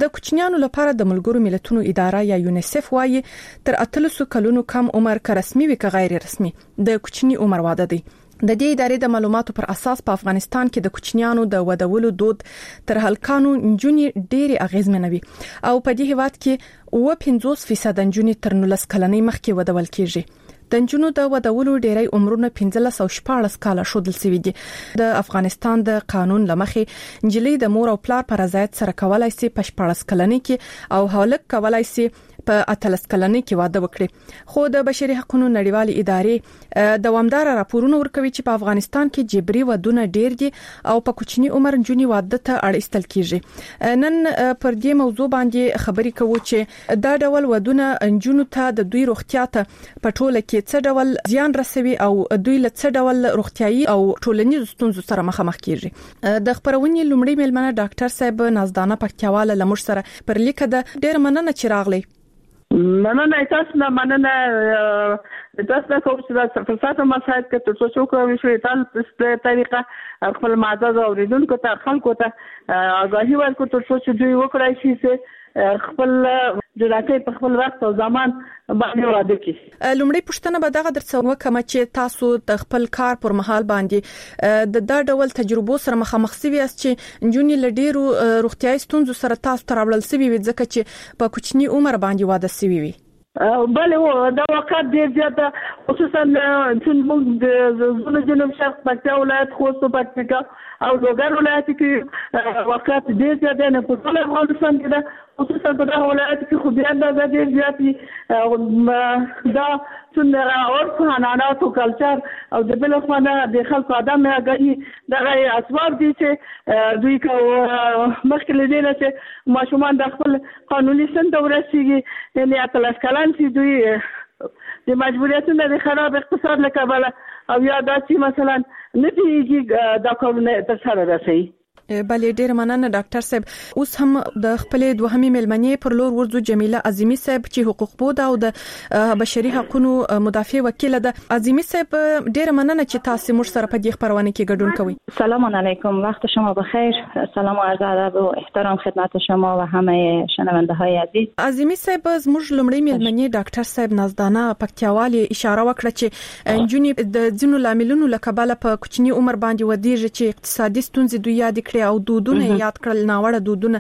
د کوچنیانو لپاره د ملګرو ملتونو اداره یا یونیسف وایي تر اتلسو کلونو کم عمر که رسمي وي که غیر رسمي د کوچني عمر واده دی. د دې ادارې د معلوماتو پر اساس په افغانستان کې د کوچنیانو د ودولو دود تر هلکانو نجونې ډېرې اغېزمنوي او په دې هیواد کې اووه پنځوس فیصده نجونې تر نولس کلنۍ مخکې ودول کیږي. د نجونو د ودولو ډېری عمرونه پنځلس او شپاړس کاله ښودل شوي دي. د افغانستان د قانون له مخې نجلۍ د مور او پلار په رضایت سره کولای شي په شپاړس کلنۍ کې او هلک کولای شي په اتلس کلنۍ کې واده وکړي. خو د بشري حقونو نړیوالې ادارې دوامداره راپورونه ورکوي چې په افغانستان کې جبري ودونه ډېر دي او په کوچني عمر نجونې واده ته اړ ایستل کیږي. نن پر دې موضوع باندې خبرې کوو چې دا ډول ودونه نجونو ته د دوی روغتیا ته په ټوله کې څه ډول زیان رسوي او دوی له څه ډول روغتیایي او ټولنیزو ستونزو سره مخامخ کیږي. د خپرونې لومړۍ میلمنه ډاکټر صاحب نازدانه پکتیاواله له موږ سره پر لیکه ده. ډېره مننه چې راغلی. مننه تاسو نه، مننه تاسو نه کوم چې دا فرصت مساعد کړ ترڅو چې وکړای شو تاسو طریقه خپل معزز اوریدونکو ته خلکو ته آګاهي ورکړو ترڅو چې دوی وکړای شي چې خپل جنکۍ په خپل وخت او زمان باندې واده کړي. لومړۍ پوښتنه به دغه درڅخه وکم چې تاسو د خپل کار پر مهال باندې د دا ډول تجربو سره مخامخ سوي یاست چې نجونې له ډېرو روغتیایي ستونزو سره تاسو ته راوړل سوي وي ځکه چې په کوچني عمر باندې واده سوي وي. بله، دا واقعیت ډېر زیات ده، خصوصا چې موږ د زون جنوب شرق پکتیا ولایت، خوست او پکتیکا او لوګر ولایت کې واقعیت ډېر زیات دی. نه په ټول افغانستان کې ده، خصوصا په دغه ولایت کې خو بیا اندازه ډېر زیات دي. دا څومره عرف، عنعنات او کلچر او د بل خوا نه د خلکو عدم آګاهي، دغه اسباب دي چې دوی که مخکې له دې نه چې ماشومان د خپل قانوني سن ته ورسېږي، یعنې اتلس کلن سي، دوی د مجبوریتونه د خراب اقتصاد له کبله او یا دا چې مثلا نه پوهېږي دا کارونه ترسره رسوي. بله، ډیر مننه ډاکټر صاحب. اوس هم د خپلې دوهمې میلمنې پر لور ورځو، جمیله عظیمي صاحب چې حقوقپوه ده او د بشري حقونو مدافع وکیله ده. عظیمي صاحب، ډیر مننه چې تاسو موږ سره په دې خپرونه کې ګډون کوئ. سلام علیکم، وقت شما بخیر. سلام و عرض ادب و احترام خدمت شما و همه شنونده های عزیز. عظیمي صاحب، زموږ لومړی میلمنې ډاکټر صاحب نازدانه پکتیاوالي اشاره وکړه چې نجونې د ځینو لاملونو له کبله په کوچني عمر باندې ودیږي چې اقتصادي ستونزې دوی یادې کړې او دودونه یاد کړل، ناوړه دودونه.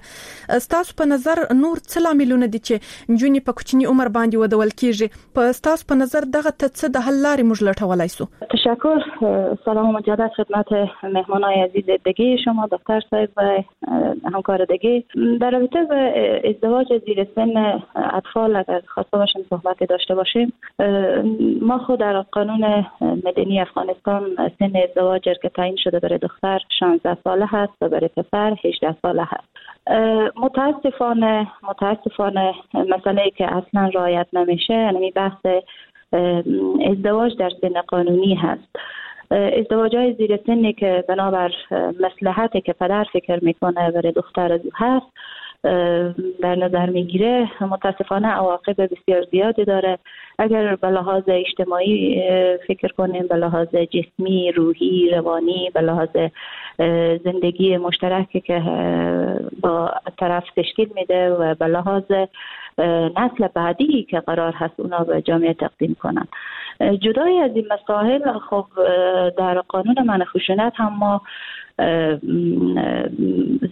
ستاسو په نظر نور څه لاملونه دي چې نجونې په کوچني عمر باندې ودول کیږي؟ په ستاسو په نظر دغه ته څه د حل لارې موږ لټولای سو؟ تشکر. سلام و مجدد خدمت مهمانای عزیز دیگه شما، دکتر صاحب و همکار دیگه. در رابطه با ازدواج زیر سن اطفال اگر خواسته باشیم صحبت داشته باشیم، ما خود در قانون مدنی افغانستان سن ازدواج که تعیین شده برای دختر شانزده ساله هست و برای پسر هجده ساله هست. متاسفانه متاسفانه مسئله که اصلا رعایت نمیشه یعنی بحث ازدواج در سن قانونی هست. ازدواج های زیر سنی که بنابر مصلحتی که پدر فکر میکنه برای دختر از او هست در نظر میگیره، متاسفانه عواقب بسیار زیادی داره. اگر به لحاظ اجتماعی فکر کنیم، به لحاظ جسمی، روحی، روانی، به لحاظ زندگی مشترکی که با طرف تشکیل میده و به لحاظ نسل بعدی که قرار هست اونا به جامعه تقدیم کنن. جدای از این مسائل، خب در قانون منع خشونت هم ما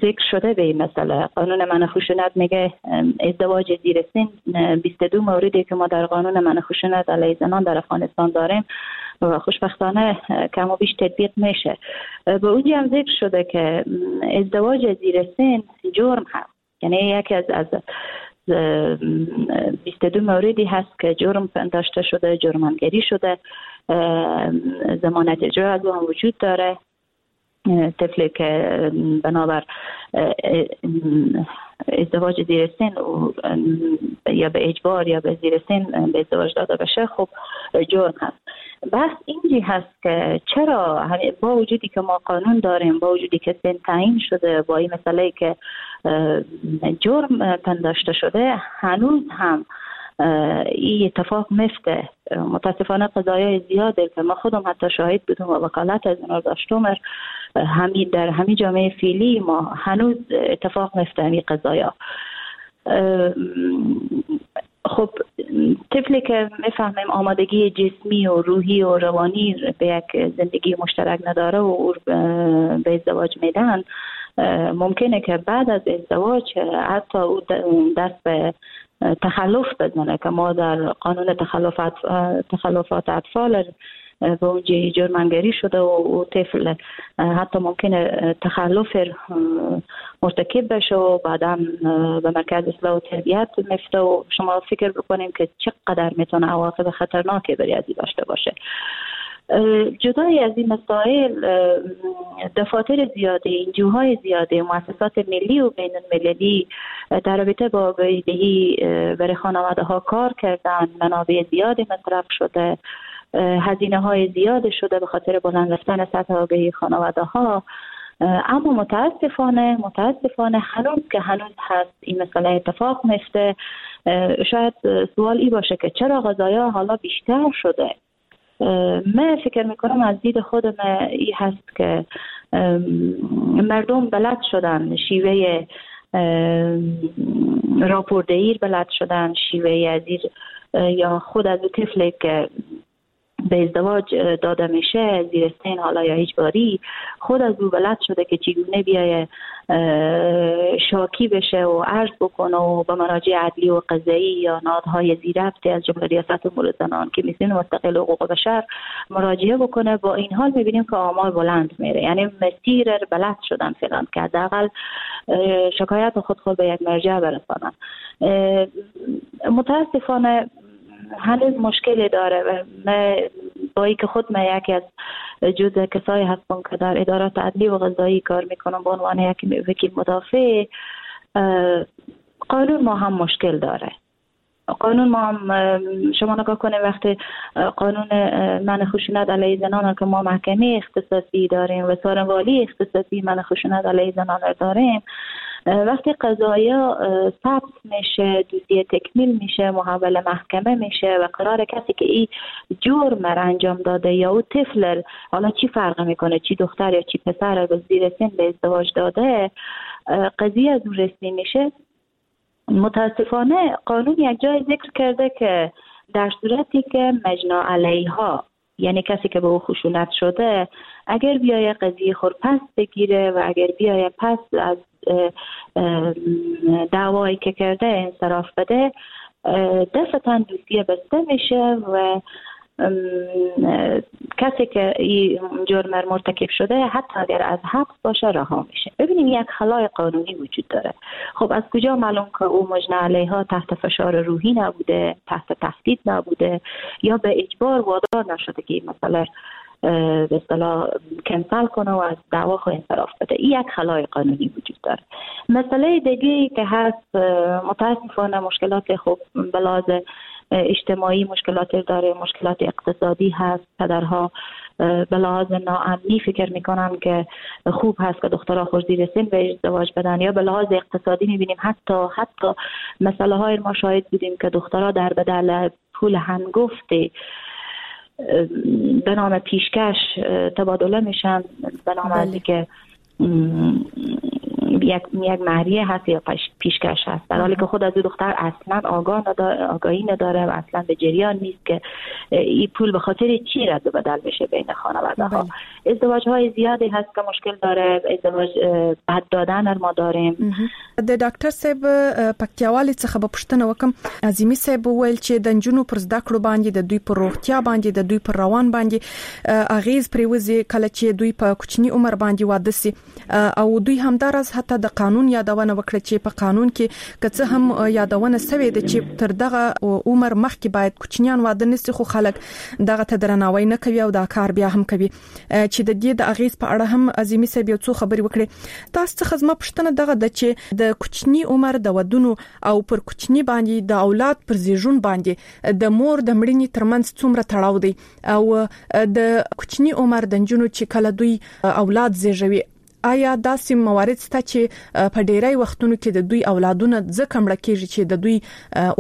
ذکر شده به این مسئله. قانون منع خشونت میگه ازدواج زیر سن بیست و دو موردی که ما در قانون منع خشونت علیه زنان در افغانستان داریم و خوشبختانه کم و بیش تطبیق میشه. به اونجا هم ذکر شده که ازدواج زیر سن جرم هست، یعنی یکی از از بیست و دو موردی هست که جرم پنداشته شده، جرمانگری شده، ضمانت اجرا از اون وجود داره. طفلی که بنابر ازدواج زیر سن یا به اجبار یا به زیر سن به ازدواج داده بشه، خب جرم هست. بحث اینجی هست که چرا با وجودی که ما قانون داریم، با وجودی که سن تعیین شده، با این مسئله که جرم پنداشته شده، هنوز هم این اتفاق میفته. متاسفانه قضایای زیاده که ما خودم حتی شاهد بودم و وکالت از اونا داشتم، همین در همین جامعه فعلی ما هنوز اتفاق میفته همین قضایا. خب طفلی که میفهمیم آمادگی جسمی و روحی و روانی به یک زندگی مشترک نداره و او به ازدواج میدن، ممکنه که بعد از ازدواج حتی او دست به تخلف بزنه که ما در قانون تخلفات تخلفات اطفال به اونجا جرمانگری شده و او طفل حتی ممکنه تخلف مرتکب بشه و بعدا به مرکز اصلاح و تربیت میفته و شما فکر بکنیم که چقدر میتونه عواقب خطرناکی برای ازی داشته باشه. جدای از این مسائل، دفاتر زیاده، انجوهای زیاده، مؤسسات ملی و بین المللی در رابطه با آگاهی‌دهی برای خانواده ها کار کردن، منابع زیادی مصرف شده، هزینه های زیاد شده به خاطر بلند رفتن سطح آگاهی خانواده ها. اما متاسفانه متاسفانه هنوز که هنوز هست این مسئله اتفاق میفته. شاید سوال ای باشه که چرا قضایا حالا بیشتر شده. من فکر میکنم از دید خودم ای هست که مردم بلد شدن شیوه راپوردهی بلد شدن، شیوه از یا خود از طفلی که به ازدواج داده میشه زیر سن حالا یا هیچ باری، خود از او بلد شده که چگونه بیایه شاکی بشه و عرض بکنه و به مراجع عدلی و قضایی یا نهادهای ذیربط از جمله ریاست امور زنان، کمیسیون مستقل حقوق بشر مراجعه بکنه. با این حال میبینیم که آمار بلند میره، یعنی مسیر بلد شدن فعلا که حداقل شکایت خود خود به یک مرجع برسانن. متاسفانه هنوز مشکلی داره و من با اینکه خود من یکی از جزء کسایی هستم که در ادارات عدلی و قضایی کار میکنم به عنوان یک وکیل مدافع، قانون ما هم مشکل داره. قانون ما هم شما نگاه کنید وقتی قانون منع خشونت علیه زنان که ما محکمه اختصاصی داریم و سارنوالی اختصاصی منع خشونت علیه زنان داریم، وقتی قضایا ثبت میشه، دوسیه تکمیل میشه، محول محکمه میشه و قرار کسی که این جرم را انجام داده یا او طفل، حالا چی فرق میکنه چی دختر یا چی پسر به زیر سن به ازدواج داده، قضیه از او رسمی میشه. متاسفانه قانون یک جای ذکر کرده که در صورتی که مجنا علیها، یعنی کسی که به او خشونت شده، اگر بیای قضیه خود پس بگیره و اگر بیای پس از دعوایی که کرده انصراف بده، دفعتاً دوسیه بسته میشه و کسی که این جرم مرتکب شده حتی اگر از حبس باشه رها میشه. ببینیم یک خلای قانونی وجود داره. خب از کجا معلوم که او مجنی علیها تحت فشار روحی نبوده، تحت تهدید نبوده یا به اجبار وادار نشده که این مسئله به اصطلاح کنسل کنه و از دعوا خود انصراف بده؟ این یک خلای قانونی وجود داره. مسئله دیگه که هست، متاسفانه مشکلات خب به لحاظ اجتماعی مشکلات داره، مشکلات اقتصادی هست. پدرها به لحاظ ناامنی فکر میکنن که خوب هست که دخترها خود زیر سن به ازدواج بدن، یا به لحاظ اقتصادی میبینیم حتی حتی مسئله های ما شاهد بودیم که دخترها در بدل پول هنگفت به نام پیشکش تبادله میشن، به نام از که یک یک مهریه هست یا پیشکش هست، در حالی که خود از دختر اصلا آگاه نداره، آگاهی نداره و اصلا به جریان نیست که این پول به خاطر چی رد و بدل بشه بین خانواده ها. ازدواج های زیادی هست که مشکل داره، ازدواج بد دادن ما داریم. د ډاکټر صاحب پکتیاوالي څخه به پوښتنه وکم. عظیمي صاحب وویل چې د نجونو پر زده کړو باندې، د دوی پر روغتیا باندې، د دوی پر روان باندې اغیز پریوزي کله چې دوی په کوچني عمر باندې واده سي، او دوی همداراز حتی د قانون یادونه وکړه چې په قانون کې که څه هم یادونه سوې ده چې تر دغه عمر مخکې باید کوچنیان واده نسي، خو خلک دغه ته درناوی نه کوي او دا کار بیا هم کوي، چې د دې د اغیز په اړه هم عظیمي صاحب یو څو خبرې وکړې. تاسو څخه زما پوښتنه دغه ده چې د کوچني عمر د ودونو او پر کوچني باندې د اولاد پر زیږون باندې د مور د مړینې ترمنځ څومره تړاو دی، او د کوچني عمر د نجونو چې کله دوی اولاد زیږوي، آیا داسې موارد شته چې په ډیری وختونو کې د دوی اولادونه ځکه مړه کیږي چې د دوی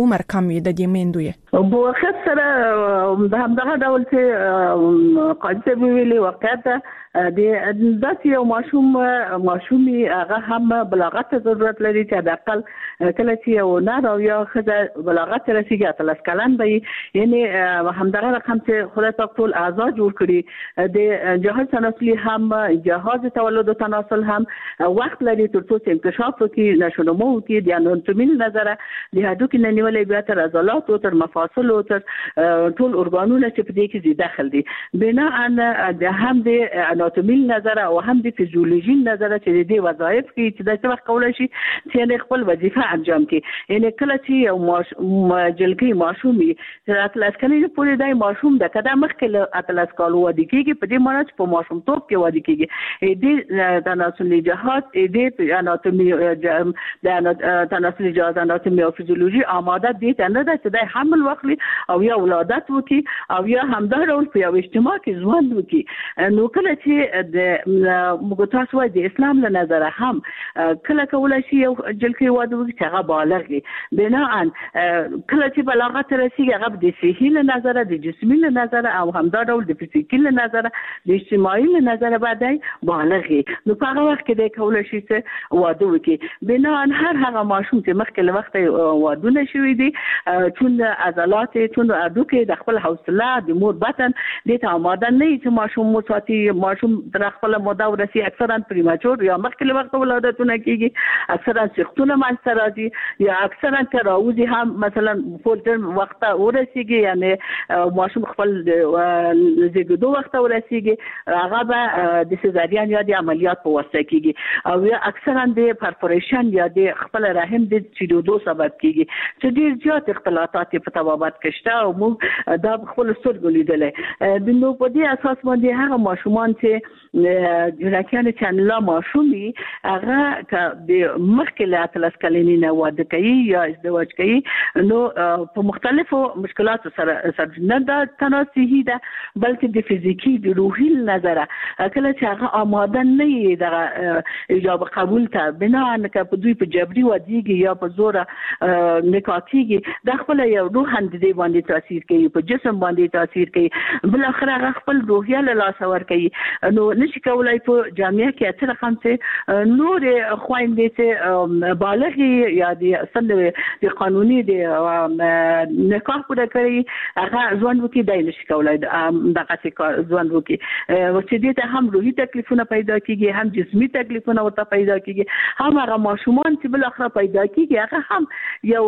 عمر کم وي د دې میندو یې؟ په واقعیت سره د همدغه ډول چې قاضي صاحب ویلي، واقعیت د داسې یو ماشوم ماشومي هغه هم بلاغت ته ضرورت لري چې حداقل کله چې یو نر او یا ښځه بلاغت ته رسېږي اتلس کلن به وي، یعنې همدغه رقم چې خدای پاک ټول اعضا جوړ کړي، د جهاز تناسلي هم جهاز تولد و تناسل هم وخت لري تر څو چې انکشاف وکړي، نشونما وکړي، د اناتومي له نظره د هډوکي نه نیولې بیا تر عضلاتو تر مفاصلو تر ټول ارګانونه چې په دې کې ذي دخل دي. بناءً د هم د اناتومي نظر او هم د فزیولوژي نظر چې د دې وظایف کې چې د څه وخت کولای شي چې خپل وظیفه انجام کړي، یعنی کله چې یو جلګي ماشومي تر اتلس کلنۍ پورې دی ماشوم ده، که دا مخکې له اتلس کالو واده کېږي، په دې معنی چې په ماشومتوب کې واده کېږي، دې تناسلي جهاز دې اناتومي د تناسلي جهاز اناتومي او فزیولوژي آماده دې ته نه ده چې دی حمل واخلي او یا ولادت وکړي او یا همدا ډول په یو اجتماع کې ژوند وکړي. نو کله چې د موږ تاسو وایي د اسلام له نظره هم کله کولای شي یو جلکۍ واده وکړي چې هغه بالغ وي، بناءً کله چې بلاغت ته رسېږي هغه د صحي له نظره، د جسمي له نظره او همدا ډول د فزیکي له نظره، د اجتماعي له نظره به دی بالغ وي، نو په هغه وخت کې دی کولای شي چې واده وکړي. بناءً هر هغه ماشوم چې مخکې له وخته وادونه شوي دي، چون عضلات چون هډوکي د خپل حوصله د مور بطن دې ته آماده نه وي چې ماشوم وساتي، ماشوم ماشوم تر خپل موده ورسي، اکثرا premature یا مخکې له وخته ولادتونه کیږي، اکثرا سختونه منځته راځي، یا اکثرا که راوځي هم مثلا full term وخته ورسیږي، یعنی ماشوم خپل زیږیدو وخته ورسیږي، هغه به د سزارین یا د عملیات په واسطه کیږي، او یا اکثرا د perforation یا د خپل رحم د چیرېدو سبب کیږي چې ډېر زیات اختلاطات په طبابت کې شته او موږ دا خپل سترګو لیدلی. نو په دې اساس باندې هغه ماشومان چې جنکیان چې لا ماشومي هغه که د مخکې له اتلس کلنۍ نه واده کوي یا ازدواج کوي نو په مختلفو مشکلاتو سره سره نه دا تنها صحي ده بلکې د فزیکي د روحي نظره کله چې هغه آماده نه وي دغه ایجاب قبول ته، بنا که په دوی په جبري ودیږي یا په زوره نکاح کیږي، دا خپل یو روحاً د دې باندې تاثیر کوي، په جسم باندې تاثیر کوي، بالاخره هغه خپل روحیه له لاسه ورکوي. نو نشي کولای په جامعه کې څه رقم چې نورې خویندې چې بالغې یا د سن د قانوني د نکاح پوره کړي هغه ژوند وکړي، دی نشي کولای دغسې کار ژوند وکړي، چې دې ته هم روحي تکلیفونه پیدا کیږي، هم جسمي تکلیفونه ورته پیدا کیږي، هم هغه ماشومان چې بالاخره پیدا کیږي هغه هم یو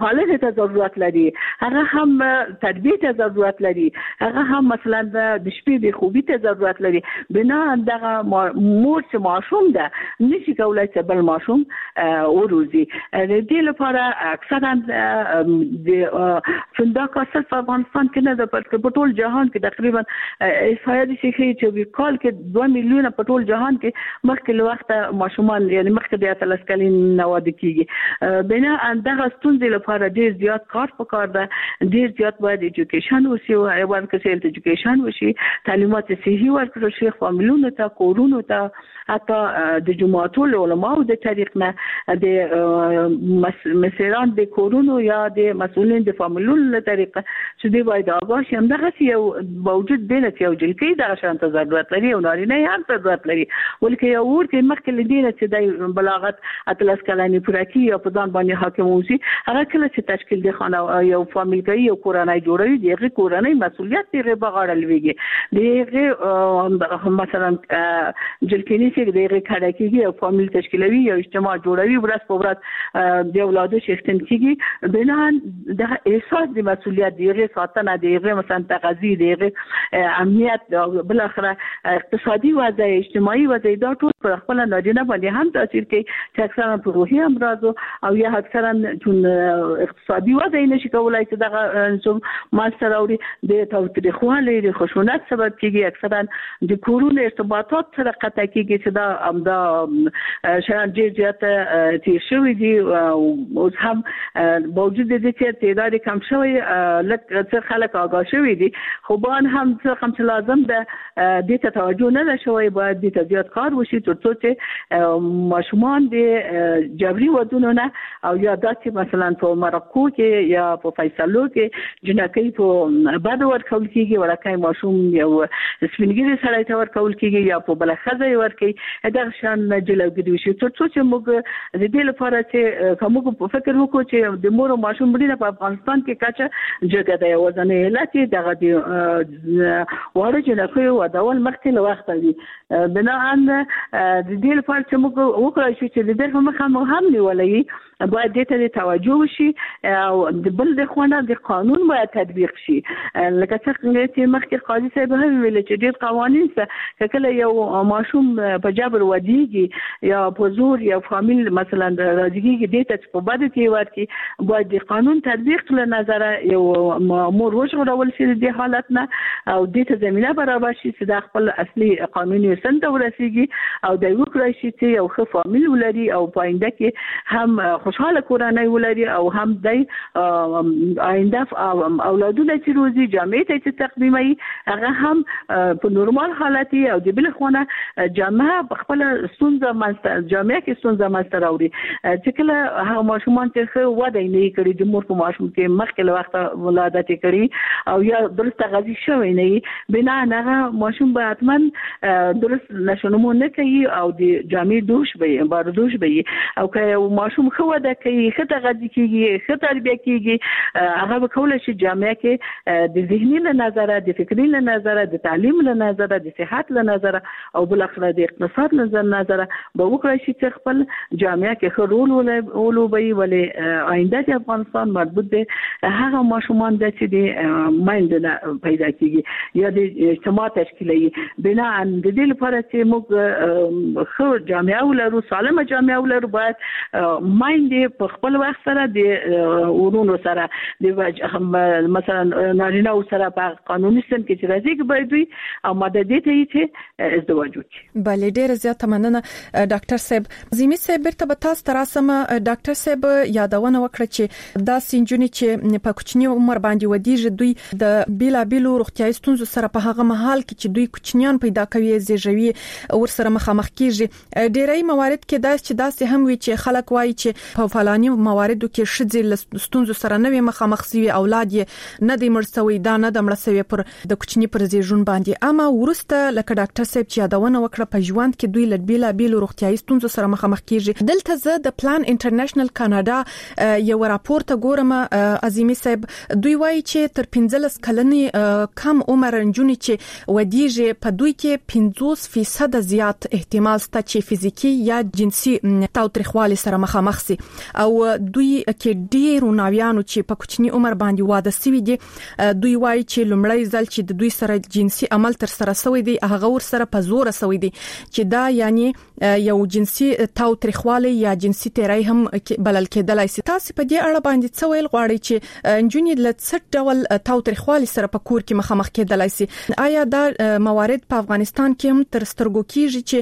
پالنې ته ضرورت لري، هغه هم تربیې ته ضرورت لري، هغه هم مثلا د شپې بې خوبي ته ضرورت لري. بنا دغه مور چې ماشوم ده نشي کولای چې بل ماشوم وروزي. د دې لپاره اکثرا د دا کار صرف افغانستان کې نه ده بلکې په ټول جهان کې تقریبا احصایه داسې ښیي چې په کال کې دوه میلیونه په ټول جهان کې مخکې له وخته ماشومان یعنی مخکې د اتلس کلنۍ نه واده کیږي. بنا دغه ستونزې لپاره ډېر زیات کار پکار ده، ډېر زیات باید education وشي، ورکړل شي، education وشي، تعلیمات صحي ورکړل شي فامیلونو ته، کورونو ته، حتی د جوماتو له علماو د طریق نه، د مسیران د کورونو یا د مسؤلین د فامیلونو له طریقه چې دوی باید آګاه شي. همدغسې یو باوجود دې نه چې یو جلکۍ دغه شان ته ضرورت لري او نارینه یې هم ضرورت لري، ولکه یو ور کې مخکې له دې نه چې دی بلاغت اتلس کلنې پوره کړي یا په ځان باندې حاکم اوسي، هغه کله چې تشکیل د خانه یو فامیل کوي، یو کورنۍ جوړوي، د هغې کورنۍ مسؤلیت د هغې په غاړه لوېږي، د هغې مثلا جلکینی چې د هغې کډه کېږي، یو فامیل تشکیلوي، یو اجتماع جوړوي، ورځ په ورځ د اولادو څښتن کېږي. بنا دغه احساس د مسؤلیت، د هغې ساتنه، د هغې مثلا تغذیه، د هغې امنیت، بالاخره اقتصادي وضع، اجتماعي وضع، دا ټول پر خپل نارینه باندې هم تاثیر کوي چې اکثرا په روحي امراضو او یا اکثرا چون اقتصادي وضع یې نشي کولای چې دغه منځته راوړي، د تاوتریخوالي، د خشونت سبب کېږي، اکثرا د کورونو ارتباطات سره قطع کېږي چې دا همدا شیان ډېر زیات تېر شوي دي. اوس هم باوجود د دې چې تعداد یې کم شوی، لږ څه خلک آګاه شوي دي، خو باید هم څه رقم چې لازم ده دې ته توجه نه ده شوی، باید دې ته زیات کار وشي تر څو چې ماشومان د جبري ودونو نه او یا داسې مثلا په مرکو کې یا په فیصلو کې جنکۍ په بدو ورکول کېږي، وړکی ماشوم یو سپینږیري سړی ته ورکول کېږي یا په بله ښځه یې ورکوي، دغه شیان نه جلوګیري وشي. تر څو چې موږ د دې لپاره چې که موږ فکر وکړو چې د مور او ماشوم مړینه په افغانستان کې کچه جګه ده، یوازنی علت یې دغه د واړه جنکیو ودول مخکې له وخته وي. بناً د دې لپاره چې موږ وکړای شو چې د دې مخه مو هم نیولی، باید دې ته توجه وشي او د بل د خوا نه د قانون باید تطبیق شي. لکه څنګه چې مخکې قاضي صاحب هم ویل چې ډېر قوانین شته، که کله یو ماشوم په جبر ودیږي یا په زور یو فامیل مثلا راضي کېږي دې ته چې په بدو کې ورکړي، باید د قانون تطبیق له نظره یو مور وژغورول شي د دې حالت نه او دې ته زمینه برابر شي چې دا خپل اصلي قانوني سن ته ورسیږي او دی وکړای شي چې یو ښه فامیل ولري او په آینده کې هم خوشحاله کورنۍ ولري او هم دی آینده اولادونه چې روزي جامعې ته چې تقدیموي هغه هم په نورمال حالت او د بل خوا نه جامعه په خپله ستونزه منځته جامعه کې ستونزه منځته راوړي چې کله هغه ماشومان چې ښه وده یې نه وي کړې، د مور په ماشوم کې مخکې له وخته ولادت یې کړي او یا درست تغذیه شوی نه وي، بنا هغه ماشوم به حتما درست نشونمو نه کوي به او د جامعې دوش به بار دوش به او که یو ماشوم ښه وده کوي، ښه تغذیه کیږي، ښه تربیه کیږي، هغه به کولی شي جامعه کې د ذهني له نظره، د فکري له نظره، د تعلیم له نظره، د صحت له نظره او بالاخره د اقتصاد له نظره به وکړای شي چې خپل جامعه کې ښه رول ولوبوي. ولې آینده د افغانستان مربوط دی هغه ماشومان ده چې د میندو نه پیدا کیږي یا د اجتماع تشکیلوي. بناء د دې لپاره چې موږ ښه جامعه ولرو، سالمه جامعه ولرو، باید میندې په خپل وخت سره د ورونو سره د مثلا نارینه سره په قانوني سن کې چې راځي باید دوی آماده دي ته چې ازدواج وکړي. بله، ډیره زیاته مننه ډاکټر صاحب. عظیمي صاحب بیرته به تاسو ته راسم. ډاکټر صاحب یادونه وکړه چې داسې نجونې چې په کوچني عمر باندې ودیږي دوی د بیلابیلو روغتیایي ستونزو سره په هغه مهال کې چې دوی کوچنیان پیدا کوي، زیږوي، ورسره مخامخ کیږي. ډیری موارد کې داسې چې داسې هم وي چې خلک وایي چې په فلاني مواردو کې ښځې له ستونزو سره نه وي مخامخ سوي، اولاد یې نه دی مړ سوی، دا نه ده مړه سوې پر د کوچني پر زیږون باندې. اما وروسته لکه ډاکټر صاحب چې یادونه وکړه په ژوند کې دوی له بیلابیلو روغتیایي ستونزو سره مخامخ کیږي. دلته زه د پلان انټرنیشنل کاناډا یو راپور ته ګورم عظیمي صاحب، دوی وایي چې تر پنځلس کلنې کم عمر نجونې چې ودیږي په دوی کې پنځوس فیصده زیات احتمال شته چې فزیکي یا جنسي تاوتریخوالي سره مخامخ سي، او دوی کې ډیرو ناویانو چې په کوچني عمر باندې واده سوي دي دوی وایي چې لومړی ځل چې د دوی سره جنسي عمل تر سره سوی دی هغه ورسره په زوره سوی دی، چې دا یعنی یو جنسي تاوتریخوالی یا جنسي تیری هم بلل کېدلای سي. تاسو په دې اړه باندې څه ویل غواړئ چې نجونې له څه ډول تاوتریخوالي سره په کور کې مخامخ کېدلای سي؟ آیا دا موارد په افغانستان کې هم تر سترګو کیږي چې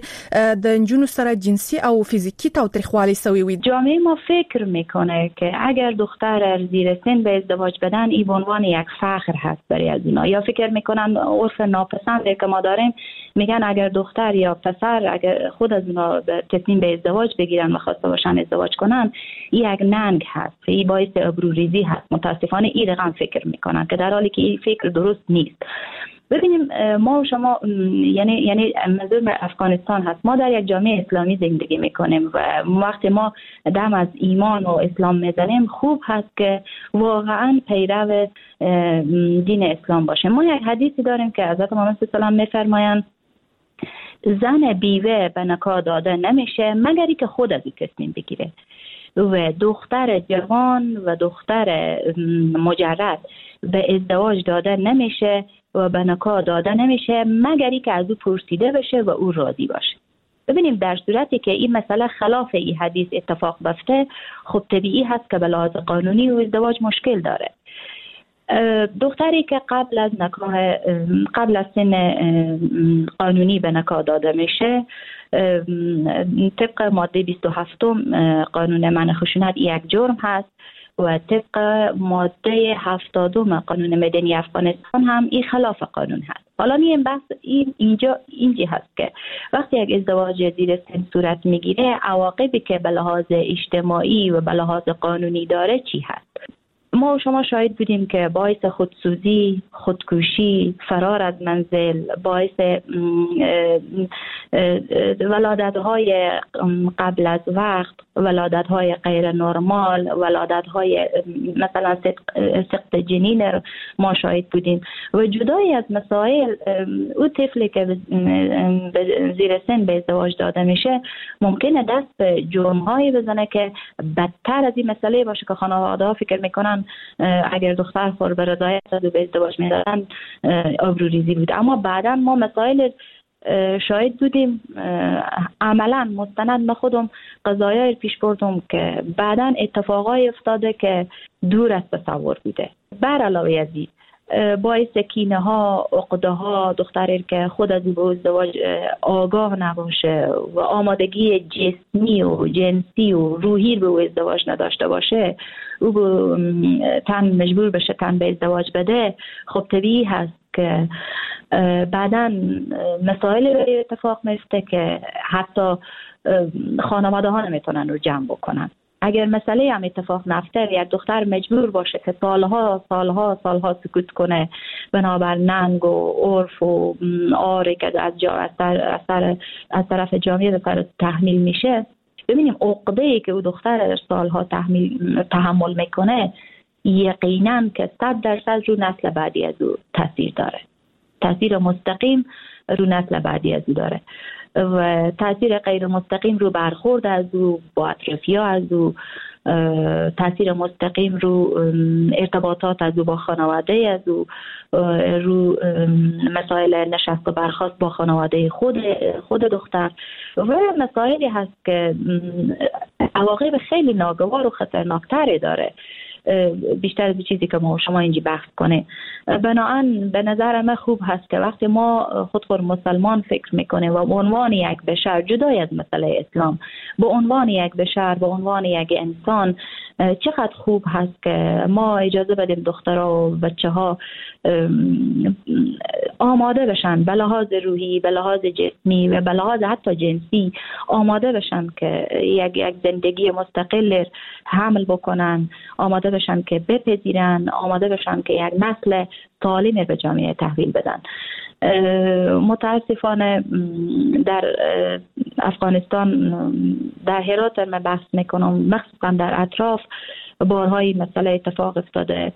د نجونو سره جنسي او فزیکي تاوتریخوالی سوی وي؟ جامعه ما فکر میکنه که اگر دختر زیر سن به ازدواج بدن ای به عنوان یک فخر هست برای از اینا، یا فکر میکنن عرف ناپسنده که ما داریم، میگن اگر دختر یا پسر اگر خود از اونا تصمیم به ازدواج بگیرن و خواسته باشن ازدواج کنن یک ننگ هست، این باعث آبروریزی هست. متاسفانه این رقم فکر میکنن که در حالی که این فکر درست نیست. ببینیم ما و شما، یعنی یعنی منظور افغانستان هست، ما در یک جامعه اسلامی زندگی میکنیم و وقتی ما دم از ایمان و اسلام میزنیم خوب هست که واقعا پیرو دین اسلام باشه. ما یک حدیثی داریم که حضرت محمد صلی الله علیه و آله میفرمایند زن بیوه به نکاح داده نمیشه مگر اینکه خود از او تصمیم بگیره، و دختر جوان و دختر مجرد به ازدواج داده نمیشه و به نکاح داده نمیشه مگر اینکه از او پرسیده بشه و او راضی باشه. ببینیم در صورتی که این مسئله خلاف این حدیث اتفاق بیفته، خب طبیعی هست که به لحاظ قانونی و ازدواج مشکل داره. دختری که قبل از نکاح، قبل از سن قانونی به نکاح داده میشه، طبق ماده بیست و هفت قانون منع خشونت یک جرم هست و طبق ماده هفتاد قانون مدنی افغانستان هم این خلاف قانون هست. حالا این بحث این اینجا اینجا هست که وقتی یک ازدواج زیر سن صورت میگیره عواقبی که به لحاظ اجتماعی و به لحاظ قانونی داره چی هست. ما و شما شاهد بودیم که باعث خودسوزی، خودکشی، فرار از منزل، باعث ولادت‌های قبل از وقت، ولادت‌های غیر نرمال، ولادت‌های مثلا سقط جنین ما شاهد بودیم و جدای از مسائل او طفلی که زیر سن به ازدواج داده میشه ممکنه دست به جرم‌هایی بزنه که بدتر از این مسئله باشه که خانواده‌ها فکر میکنن اگر دختر خور به رضایت از او به ازدواج میدادن آبروریزی بود. اما بعدا ما مسائل شاهد بودیم، عملا مستند ما خودم قضایای پیش بردم که بعدا اتفاقای افتاده که دور از تصور بوده. بر علاوه از این باعث کینه ها، عقده ها، دختری که خود از او به ازدواج آگاه نباشه و آمادگی جسمی و جنسی و روحی به او ازدواج نداشته باشه، او تن مجبور بشه تن به ازدواج بده، خب طبیعی هست که بعداً مسائل اتفاق میفته که حتی خانواده ها نمیتونن رو جمع بکنن. اگر مسئله هم اتفاق نفته، یک دختر مجبور باشه که سالها سالها سالها سکوت کنه بنابر ننگ و عرف و آره که از جا از, سر از طرف جامعه به تحمیل میشه، ببینیم عقده‌ای که او دختر در سالها تحمیل تحمل میکنه یقینا که صد درصد رو نسل بعدی از او تاثیر داره، تاثیر مستقیم رو نسل بعدی از او داره و تاثیر غیر مستقیم رو برخورد از او با اطرافیا از او، تاثیر مستقیم رو ارتباطات از او با خانواده از او، رو مسائل نشست و برخاست با خانواده خود خود دختر و مسائلی هست که عواقب خیلی ناگوار و خطرناکتری داره، بیشتر از چیزی که ما شما اینجا بحث کنه. بناهن به نظر من خوب هست که وقتی ما خود خود مسلمان فکر میکنه و به عنوان یک بشر جدای از مسئله اسلام، به عنوان یک بشر، به عنوان یک انسان، چقدر خوب هست که ما اجازه بدیم دخترها و بچه ها آماده بشن به لحاظ روحی، به لحاظ جسمی و به لحاظ حتی جنسی آماده بشن که یک یک زندگی مستقل حمل بکنن، آماده بشن که بپذیرن، آماده بشن که یک نسل سالم به جامعه تحویل بدن. متاسفانه در افغانستان، در هرات من بحث میکنم، مخصوصا در اطراف، بارهای مسئله اتفاق افتاده.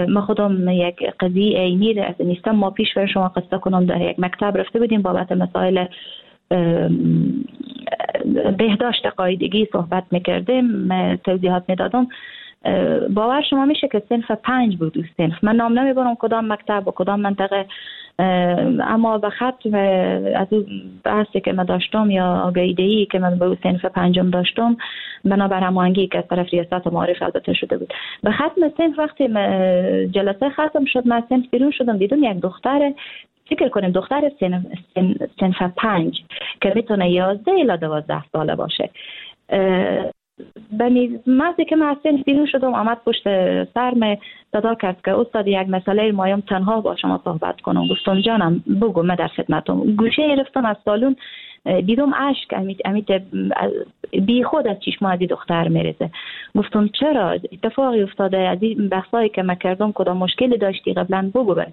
ما خودم یک قضیه عینی نیستم، ما پیش بر شما قصه کنم، در یک مکتب رفته بودیم بابت مسائل بهداشت قاعدگی صحبت میکردیم، توضیحات میدادم. باور شما میشه که صنف پنج بود اون صنف، من نام نمیبرم کدام مکتب و کدام منطقه، اما به ختم از اون بحثی که من داشتم یا آگاهی که من به اون صنف پنجم داشتم، بنابر هماهنگی که از طرف ریاست معارف البته شده بود، به ختم صنف وقتی جلسه ختم شد من صنف بیرون شدم، دیدم یک دختر، فکر کنیم دختر صنف صنف پنج که میتونه یازده الی دوازده ساله باشه، بنی مزی که من از صنف بیرون شدم آمد پشت سرم صدا کرد که استاد یک مسئله مایم تنها با شما صحبت کنم. گفتم جانم بگو، من در خدمتم. گوشه گرفتم از سالون، دیدم اشک امید امید بی خود از چشم از دختر میریزه. گفتم چرا اتفاقی افتاده؟ از این بحثایی که من کردم کدام مشکلی داشتی قبلا بگو، بر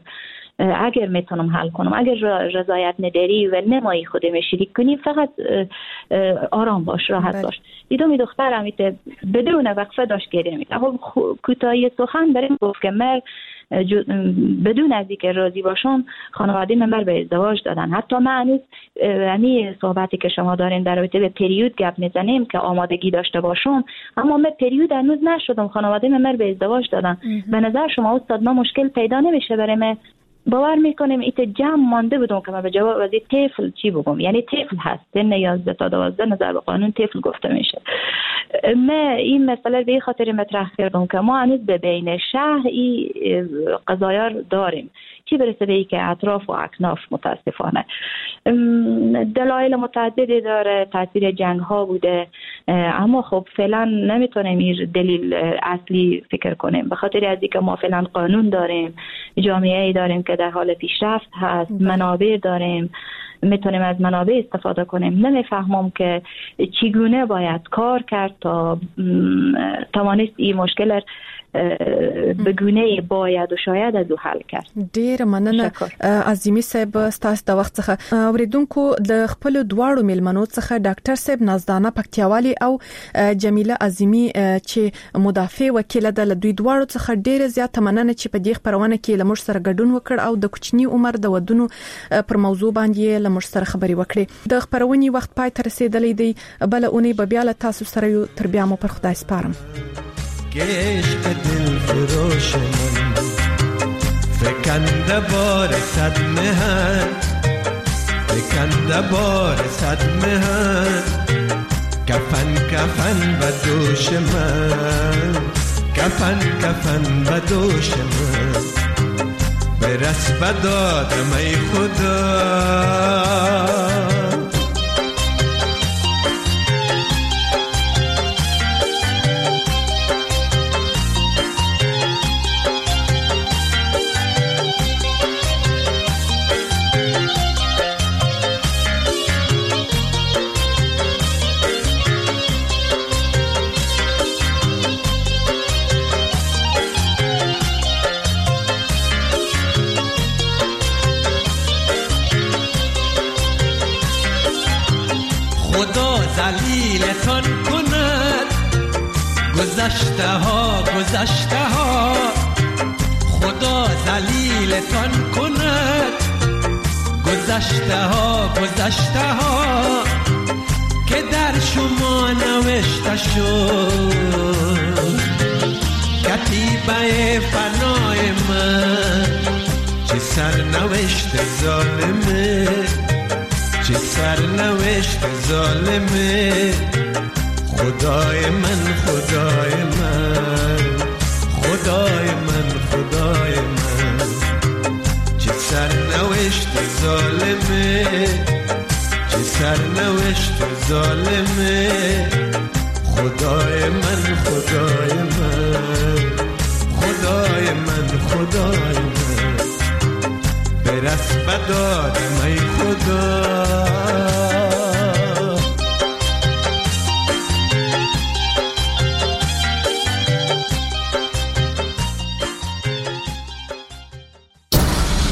اگر میتونم حل کنم، اگر رضایت نداری و نمایی خودم شریک کنی فقط آرام باش، راحت باش. دیدم دخترم بدون وقفه داشت گریه می‌کرد. خب کوتاهی سخن بریم گفت که من بدون از اینکه راضی باشم خانواده من به ازدواج دادن. حتی من هنوز همین صحبتی که شما دارین در رابطه به پریود گپ میزنیم که آمادگی داشته باشم، اما من پریود هنوز نشدم، خانواده من به ازدواج دادن. به نظر شما استاد ما مشکل پیدا نمیشه برای من؟ باور میکنیم ایت جمع مانده بودم که من به جواب از طفل چی بگم، یعنی طفل هست سن یازده تا دوازده نظر به قانون طفل گفته میشه. من این مسئله به خاطر مطرح کردم که ما هنوز به بین شهر این قضایا داریم، چی برسه به ای که اطراف و اکناف. متاسفانه دلایل متعددی داره، تاثیر جنگ ها بوده، اما خب فعلا نمیتونیم این دلیل اصلی فکر کنیم، به خاطر از اینکه ما فعلا قانون داریم، جامعه ای داریم که در حال پیشرفت هست، منابع داریم، میتونیم از منابع استفاده کنیم. نمیفهمم که چگونه باید کار کرد تا توانست این مشکل به گونه باید و شاید از او حل کرد. ډیر مننه عظیمی صاحب ستاسو د وخت څخه. اوریدونکو د خپل دواړو میلمنو څخه ډاکټر صاحب نازدانه پکتیاوالي او جمیله عظیمی چې مدافع وکیله ده، له دوی دواړو څخه ډیره زیاته مننه چې په دې خپرونه کې له موږ سره ګډون وکړ او د کوچني عمر د ودونو پر موضوع باندې له موږ سره خبرې وکړې. د خپرونې وخت پای ته رسیدلی دی، بله اونۍ به بیا له تاسو سره یو. تر بیا مو پر خدای سپارم. که عشق دل فروش من فکنده بار صد مهن، فکنده بار صد مهن، کفن کفن به دوش من، کفن کفن به دوش من، برس به دادم ای خدا. ذلیلتان کند. گذشته ها گذشته ها خدا ذلیلتان کند. گذشته ها گذشته ها که در شما نوشته شد. کتیبه فنای من چه سرنوشت ظالمه، چه سرنوشت ظالمه. خدای من خدای من خدای من خدای من، چه سرنوشت ظالمه، چه سرنوشت ظالمه. خدای من خدای من خدای من خدای من، برس بدادم ای خدا.